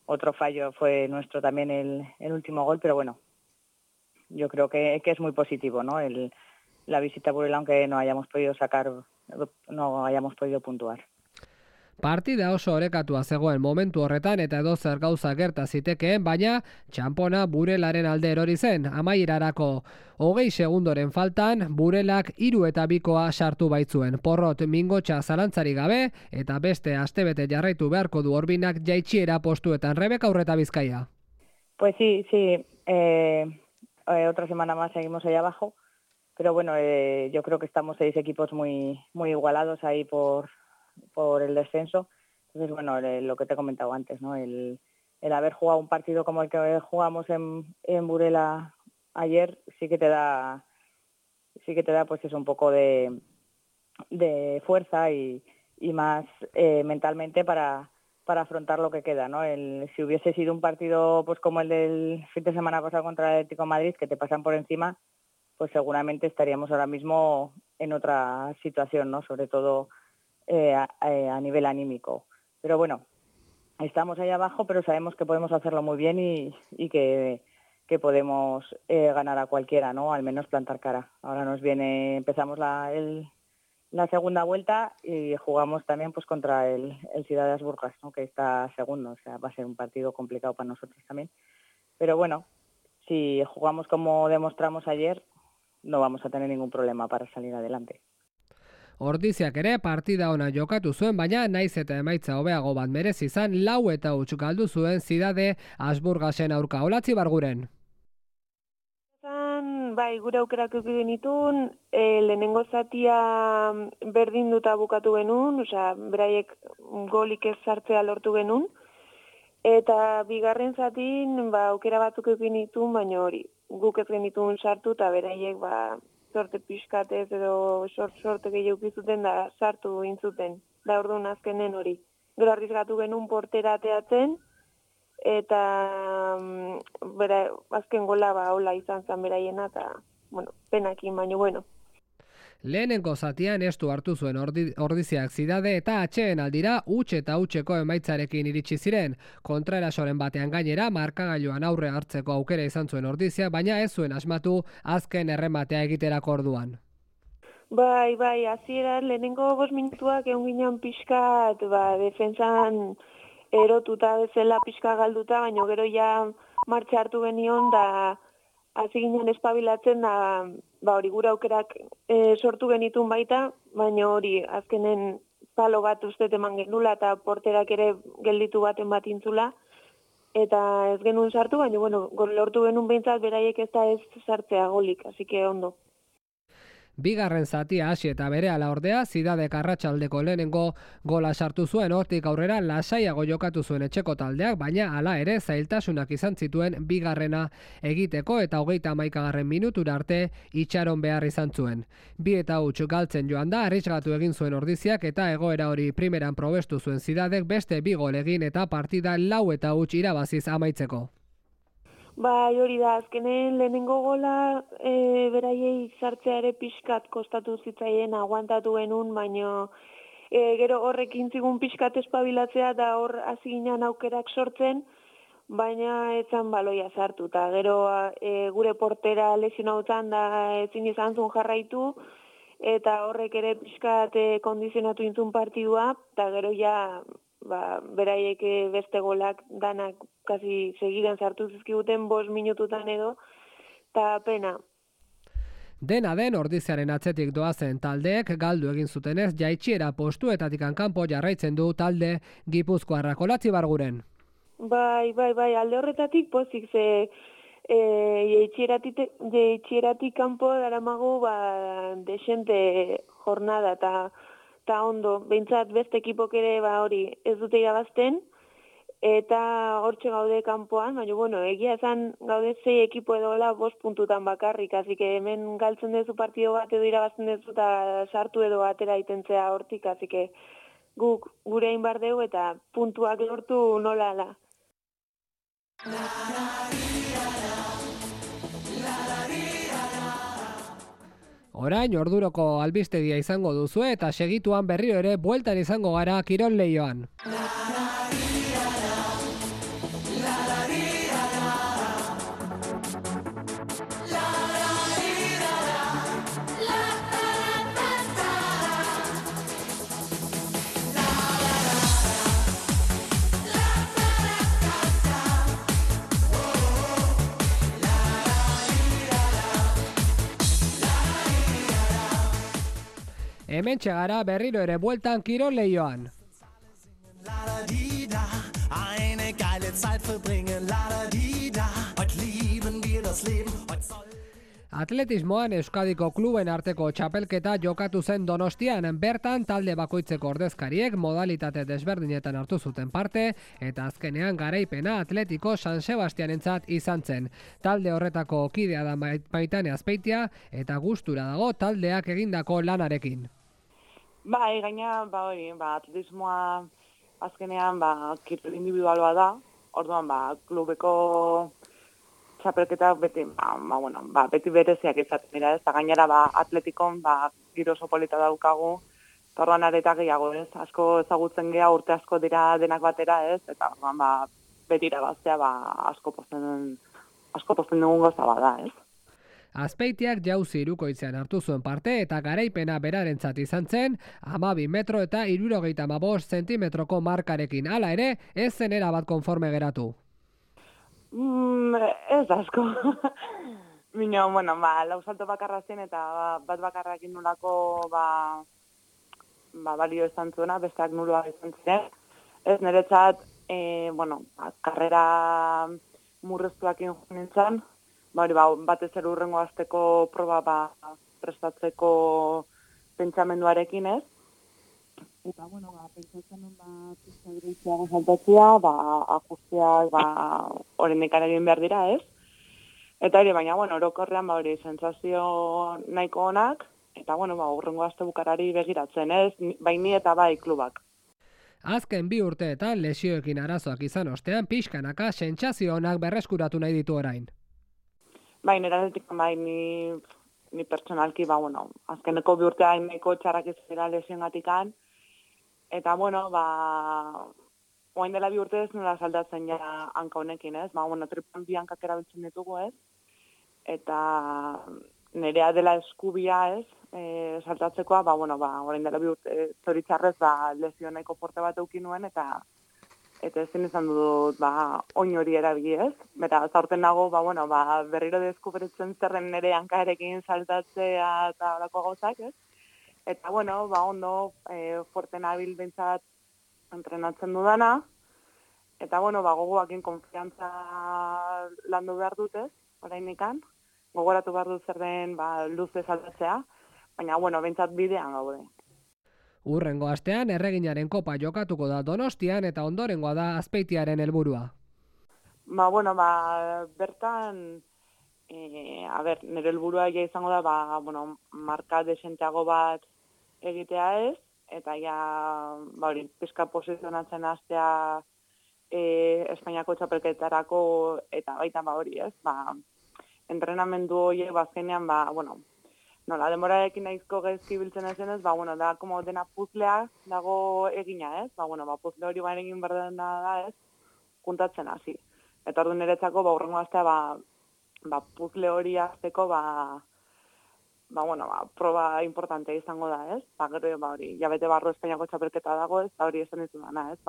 otro fallo fue nuestro también, el último gol, pero bueno, yo creo que es muy positivo, ¿no? La visita a Burela, aunque no hayamos podido puntuar. Partida oso orekatua zegoen momentu horretan eta edozer gauza gerta zitekeen, baina txanpona Burelaren alde erori zen. Amaierarako 20 segundoren faltan Burelak 3 eta 2 sartu baitzuen. Porrot mingotxa zalantzari gabe eta beste astebete jarraitu beharko du Urbinak jaitsiera postuetan. Rebeka Urreta Bizkaia. Pues sí. Otra semana más seguimos ahí abajo, pero bueno, yo creo que estamos 6 equipos muy, muy igualados ahí por el descenso. Entonces, bueno, lo que te he comentado antes, ¿no? El haber jugado un partido como el que jugamos en Burela ayer sí que te da pues es un poco de fuerza y más mentalmente para afrontar lo que queda, ¿no? Si hubiese sido un partido pues como el del fin de semana pasado contra el Atlético de Madrid, que te pasan por encima, pues seguramente estaríamos ahora mismo en otra situación, ¿no? Sobre todo a nivel anímico. Pero bueno, estamos ahí abajo, pero sabemos que podemos hacerlo muy bien y que podemos ganar a cualquiera, ¿no? Al menos plantar cara. Ahora empezamos la segunda vuelta y jugamos también pues contra el Ciudad de Asburgas, ¿no? Que está segundo, o sea, va a ser un partido complicado para nosotros también. Pero bueno, si jugamos como demostramos ayer, no vamos a tener ningún problema para salir adelante. Ordiziak ere partida ona jokatu zuen, baina naiz eta emaitza hobeago bat merezi izan 4 eta 8 galdu zuen Zidade Asburgasen aurka. Olatzi Barguren. Bai, gure aukerak eduki genitun, lehenengo zatia berdinduta bukatu genuen, osea, beraiek golik ez sartzea lortu genuen, eta bigarren zatin aukera batzuk eduki genitun, baina hori, guk ez genitun sartu eta beraiek sorte pixkatez edo sorte gehiago zuten da sartu intzuten, da orduan azkenen hori. Gero arrizgatu genuen portera ateatzen, eta azken gola hola izan zen beraiena, eta, bueno, penakin, baina, bueno. Lehenengo zatian estu hartu zuen Ordiziak Zidade eta atxeen aldira huts eta hutseko emaitzarekin iritsi ziren. Kontraerasoren batean gainera markagailuan aurre hartzeko aukera izan zuen Ordiziak, baina ez zuen asmatu azken errematea egiterako orduan. Bai, hasieran lehenengo 5 minutuak egon ginen pixkat, defentsan erotuta bezala pixka galduta, baina gero ja martxa hartu genion da hasi ginen espabilatzen da hori gure aukerak sortu genitun baita, baina hori azkenen palo bat ustez eman genula eta porterak ere gelditu baten bat intzula eta ez genuen sartu, baina bueno, lortu genuen behintzat beraiek ez da ez sartzea golik, así que ondo. Bigarren zatia hasi eta berehala ordea Zidadek arratsaldeko lehenengo gola sartu zuen, hortik aurrera lasaiago jokatu zuen etxeko taldeak, baina hala ere zailtasunak izan zituen bigarrena egiteko eta 31. minutura arte itxaron behar izan zuen. 2 eta 8 galtzen joan da, arrisgatu egin zuen Ordiziak eta egoera hori primeran probestu zuen Zidadek beste 2 gol egin eta partida 4 eta 8 irabaziz amaitzeko. Bai, hori da, azkenen lehenengo gola beraiei sartzea ere pixkat kostatu zitzaien aguantatu genuen, baina gero horrekin zigun pixkat espabilatzea da hor hasi ginen aukerak sortzen, baina etzan baloia sartu. Eta gero gure portera lesionautan da ezin izan zuen jarraitu, eta horrek ere pixkat kondizionatu intzun partidua, eta gero ja beraiek beste golak danak kasi segidan sartu zizkiguten 5 minututan edo, eta pena. Dena den ordiziaren atzetik doazen taldeek galdu egin zutenez jaitsiera postuetatik kanpo jarraitzen du talde Gipuzkoarrak. Olatzi Barguren. Bai, alde horretatik pozik ze jaitsieratik kanpo daramagu desente jornada eta ondo, behintzat beste ekipok ere hori ez dute irabazten, eta hortxe gaude kanpoan, baina bueno, egia esan gaude 6 ekipo edola 5 puntutan bakarrik, así que hemen galtzen duzu partido bat edo irabazten duzu eta sartu edo atera itentzea hortik, así que guk gure egin bar dugu eta puntuak lortu nola ala. Orain orduroko albistegia izango duzue eta segituan berriro ere bueltan izango gara kirol leioan. Hemen txegara berriro ere bueltan kirol leioan. Eine geile Zeit verbringen, la-da-di-da. Heute lieben wir das Leben, heute soll... Atletismoan Euskadiko kluben arteko txapelketa jokatu zen Donostian, bertan talde bakoitzeko ordezkariek modalitate desberdinetan hartu zuten parte, eta azkenean garaipena Atletiko San Sebastianentzat izan zen. Talde horretako kidea da Maitane Azpeitia, eta gustura dago taldeak egindako lanarekin. Bai, gaina, atletismoa azkenean, kirol individualoa da, orduan, klubeko txapelketak beti, beti bereziak izaten dira, ez, eta gainera, atletikon, giro oso polita daukagu, eta orduan areta gehiago, ez, asko ezagutzen geha, urte asko dira denak batera, ez, eta orduan, beti irabaztea, asko posten dugun goza bada, ez. Azpeitiak jauzi hirukoitzean hartu zuen parte eta garaipena berarentzat izan zen 12 metro eta 75 zentimetroko markarekin. Hala ere, ez zen erabat konforme geratu. Ez asko. Bino, lau salto bakarra zen eta bat bakarrakin nolako balio izan zuena, besteak nuloa izan ziren. Ez niretzat, karrera murreztuakin nintzen, batez ere urrengo azteko proba prestatzeko pentsamenduarekin, ez? Eta, pentsatzen pizka greiziago saltatzea, ajusteak, horrendikan egin behar dira, ez? Eta baina, orokorrean, sentsazio nahiko onak, eta, urrengo azte bukarari begiratzen, ez? Bai ni eta bai klubak. Azken 2 urteetan lesioekin arazoak izan ostean, pixkanaka sentsazio onak berreskuratu nahi ditu orain. Bai, neratik, ni pertsonalki, azkeneko 2 urtean nahiko txarrak izan lesioengatikan, eta, oain dela 2 urte ez nola saldatzen ja hanka honekin, ez? Tripan 2 hankak erabiltzen ditugu, ez? Eta nerea dela eskubia, ez? Saltatzekoa, oain dela 2 urte zoritzarrez, lesio nahiko porte bat eukin nuen, eta ezin izan dut, oin hori erabili, ez? Eta zaurten nago, berriro deskubritzen zerren nere hankarekin saltatzea eta horako gauzak, ez? Eta, ondo, fuerte nabil bentsat entrenatzen dudana, eta, gogoakin konfiantza landu behar dut, ez? Orainikan, gogoratu behar dut zer den, luze saltatzea, baina, bentsat bidean gaude. Urrengo astean Erreginaren kopa jokatuko da Donostian eta ondorengoa da Azpeitiaren helburua. Bertan, nire helburua izango da, marka desenteago bat egitea ez, eta pizka posizionatzen hastea Espainiako txapelketarako eta baita ez, entrenamendu horiek bazkenean, denborarekin nahizko gezki biltzen ezen ez, da, dena puzlea dago egina ez, puzle hori egin berdena da ez, juntatzen hasi. Eta ordu niretzako, urrengo astea, puzle hori azteko, proba importantea izango da, ez? Gero, hori, jabete barru Espainiako txapelketa dago, ez? Hori esan ditu dana, ez?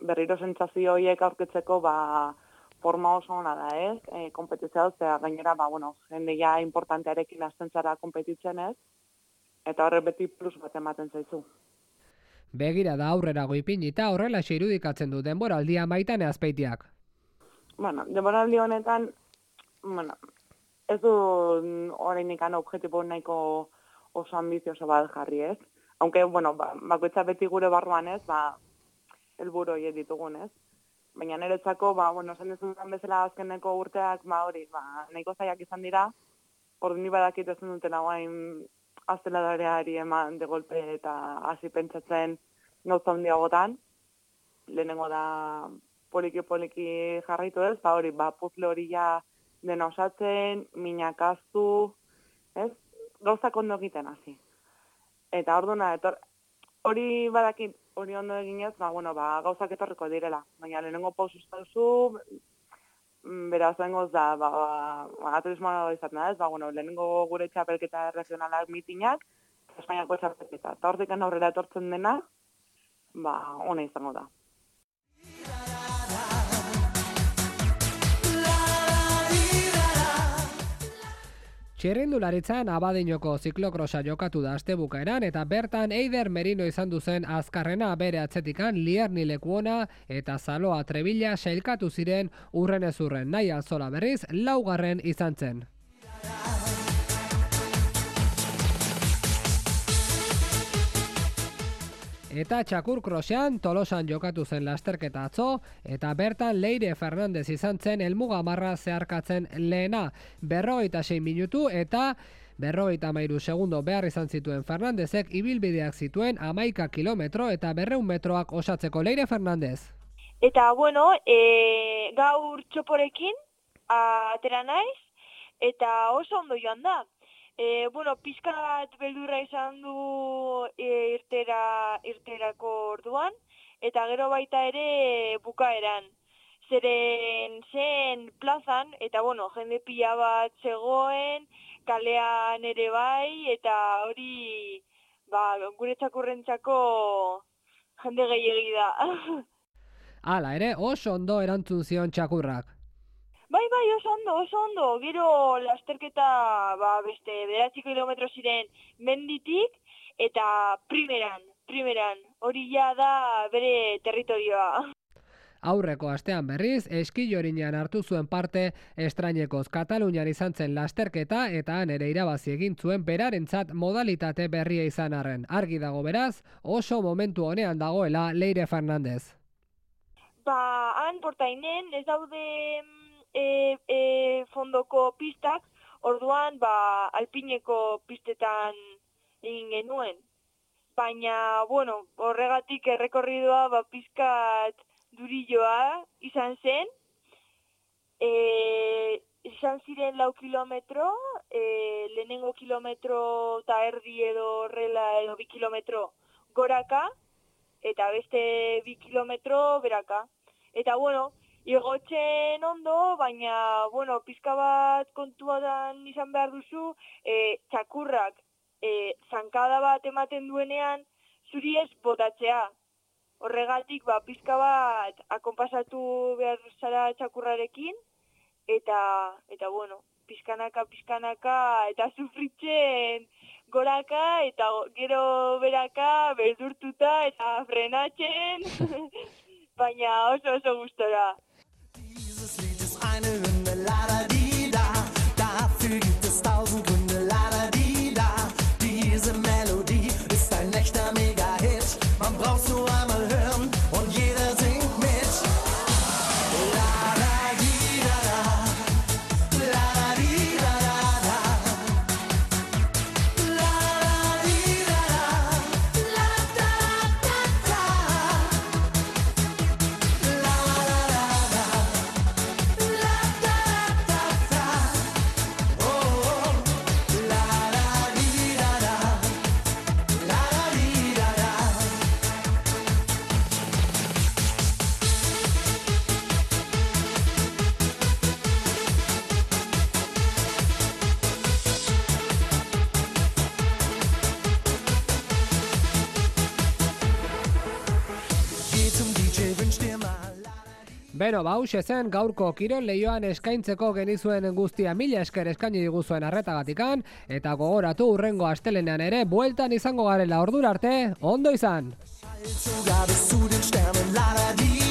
Berriro sentsazio horiek aurkitzeko, forma oso ona da, ez? Kompetizioa, gainera, jende ja importantearekin hasten zara kompetitzen, ez? Eta horrek beti plus bat ematen zaizu. Begira da aurrerago ipinita horrela irudikatzen du denboraldia Maitane Azpeitiak. Denboraldi honetan, ez du oraindik objektibo nahiko oso ambizioso bat jarri, ez? Aunque, bakoitza beti gure barruan, ez? Helburu horiek ditugun, ez? Baina niretzako, esan dezuntan bezala azkeneko urteak, nahiko zaiak izan dira, ordu ni badakit ezin dutela guain azteladareari eman de golpe eta hasi pentsatzen gauza handiagotan. Lehenengo da poliki jarraitu ez, puzle hori ja dena osatzen, minak aztu, ez? Gauzak ondo egiten hasi. Eta orduna, hori badakit, hori ondo eginez, gauzak etorriko direla. Baina lehenengo pausuz pauzu, beraz bengoz da, turismoa izaten da, ez? Lehenengo gure txapelketa regionalak mitinak, Espainiako txapelketa. Eta hortik aurrera etortzen dena, ona izango da. Txirrindularitzan Abadiñoko ziklokrosa jokatu da astebukaeran eta bertan Eider Merino izan duzen azkarrena bere atzetikan Lierni Lekuona eta Zaloa Trebilla sailkatu ziren urrenez urren. Nahi Alzola berriz laugarren izan zen. Eta txakur krosean Tolosan jokatu zen lasterketa atzo, eta bertan Leire Fernandez izan zen helmuga marra zeharkatzen lehena, 46 minutu eta 53 segundo behar izan zituen Fernandezek ibilbideak zituen 11 kilometro eta 200 metroak osatzeko. Leire Fernandez. Eta gaur txoporekin atera naiz, eta oso ondo joan da. Pizkat beldurra izan du irterako orduan, eta gero baita ere bukaeran. Zeren zen plazan, eta jende pila bat zegoen, kalean ere bai, eta hori gure txakurrentzako jende gehiegi da. Hala ere, oso ondo erantzun zion txakurrak. Bai, oso ondo. Gero lasterketa beste 9 kilometro ziren menditik eta primeran. Hori ja da bere territorioa. Aurreko astean berriz, Eskillorinean hartu zuen parte estrainekoz Katalunian izan zen lasterketa eta han ere irabazi egin zuen berarentzat modalitate berria izan arren. Argi dago beraz, oso momentu honean dagoela Leire Fernandez. Han portainen ez daude fondoko pistak, orduan alpineko pistetan egin genuen. Baina, horregatik errekorridua pizkat durilloa izan zen. Izan ziren 4 kilometro, lehenengo kilometro eta erdi edo horrela edo 2 kilometro goraka, eta beste 2 kilometro beraka. Eta, igotzen ondo, baina, pizka bat kontuadan izan behar duzu, txakurrak zankada bat ematen duenean, zuri ez botatzea. Horregatik, pizka bat akonpasatu behar zara txakurrarekin, eta pizkanaka, eta sufritzen goraka, eta gero beraka, beldurtuta, eta frenatzen, baina oso gustora. Eine Hymne, la-da-di-da, dafür gibt es 1000 Gründe, la-da-di-da. Diese Melodie ist ein echter Mega-Hit, man braucht's nur einmal hören und jeder singt mit. La-da-di-da-da, la-da-di-da-da-da, la-da-di-da-da, la-da-da-da, la-da-da-da. Beno, hauxe zen gaurko kirol leioan eskaintzeko genizuen guztia, mila esker eskaini diguzuen arretagatikan, eta gogoratu hurrengo astelenean ere bueltan izango garela, ordura arte, ondo izan! Sogar bis zu den Sternen, la la di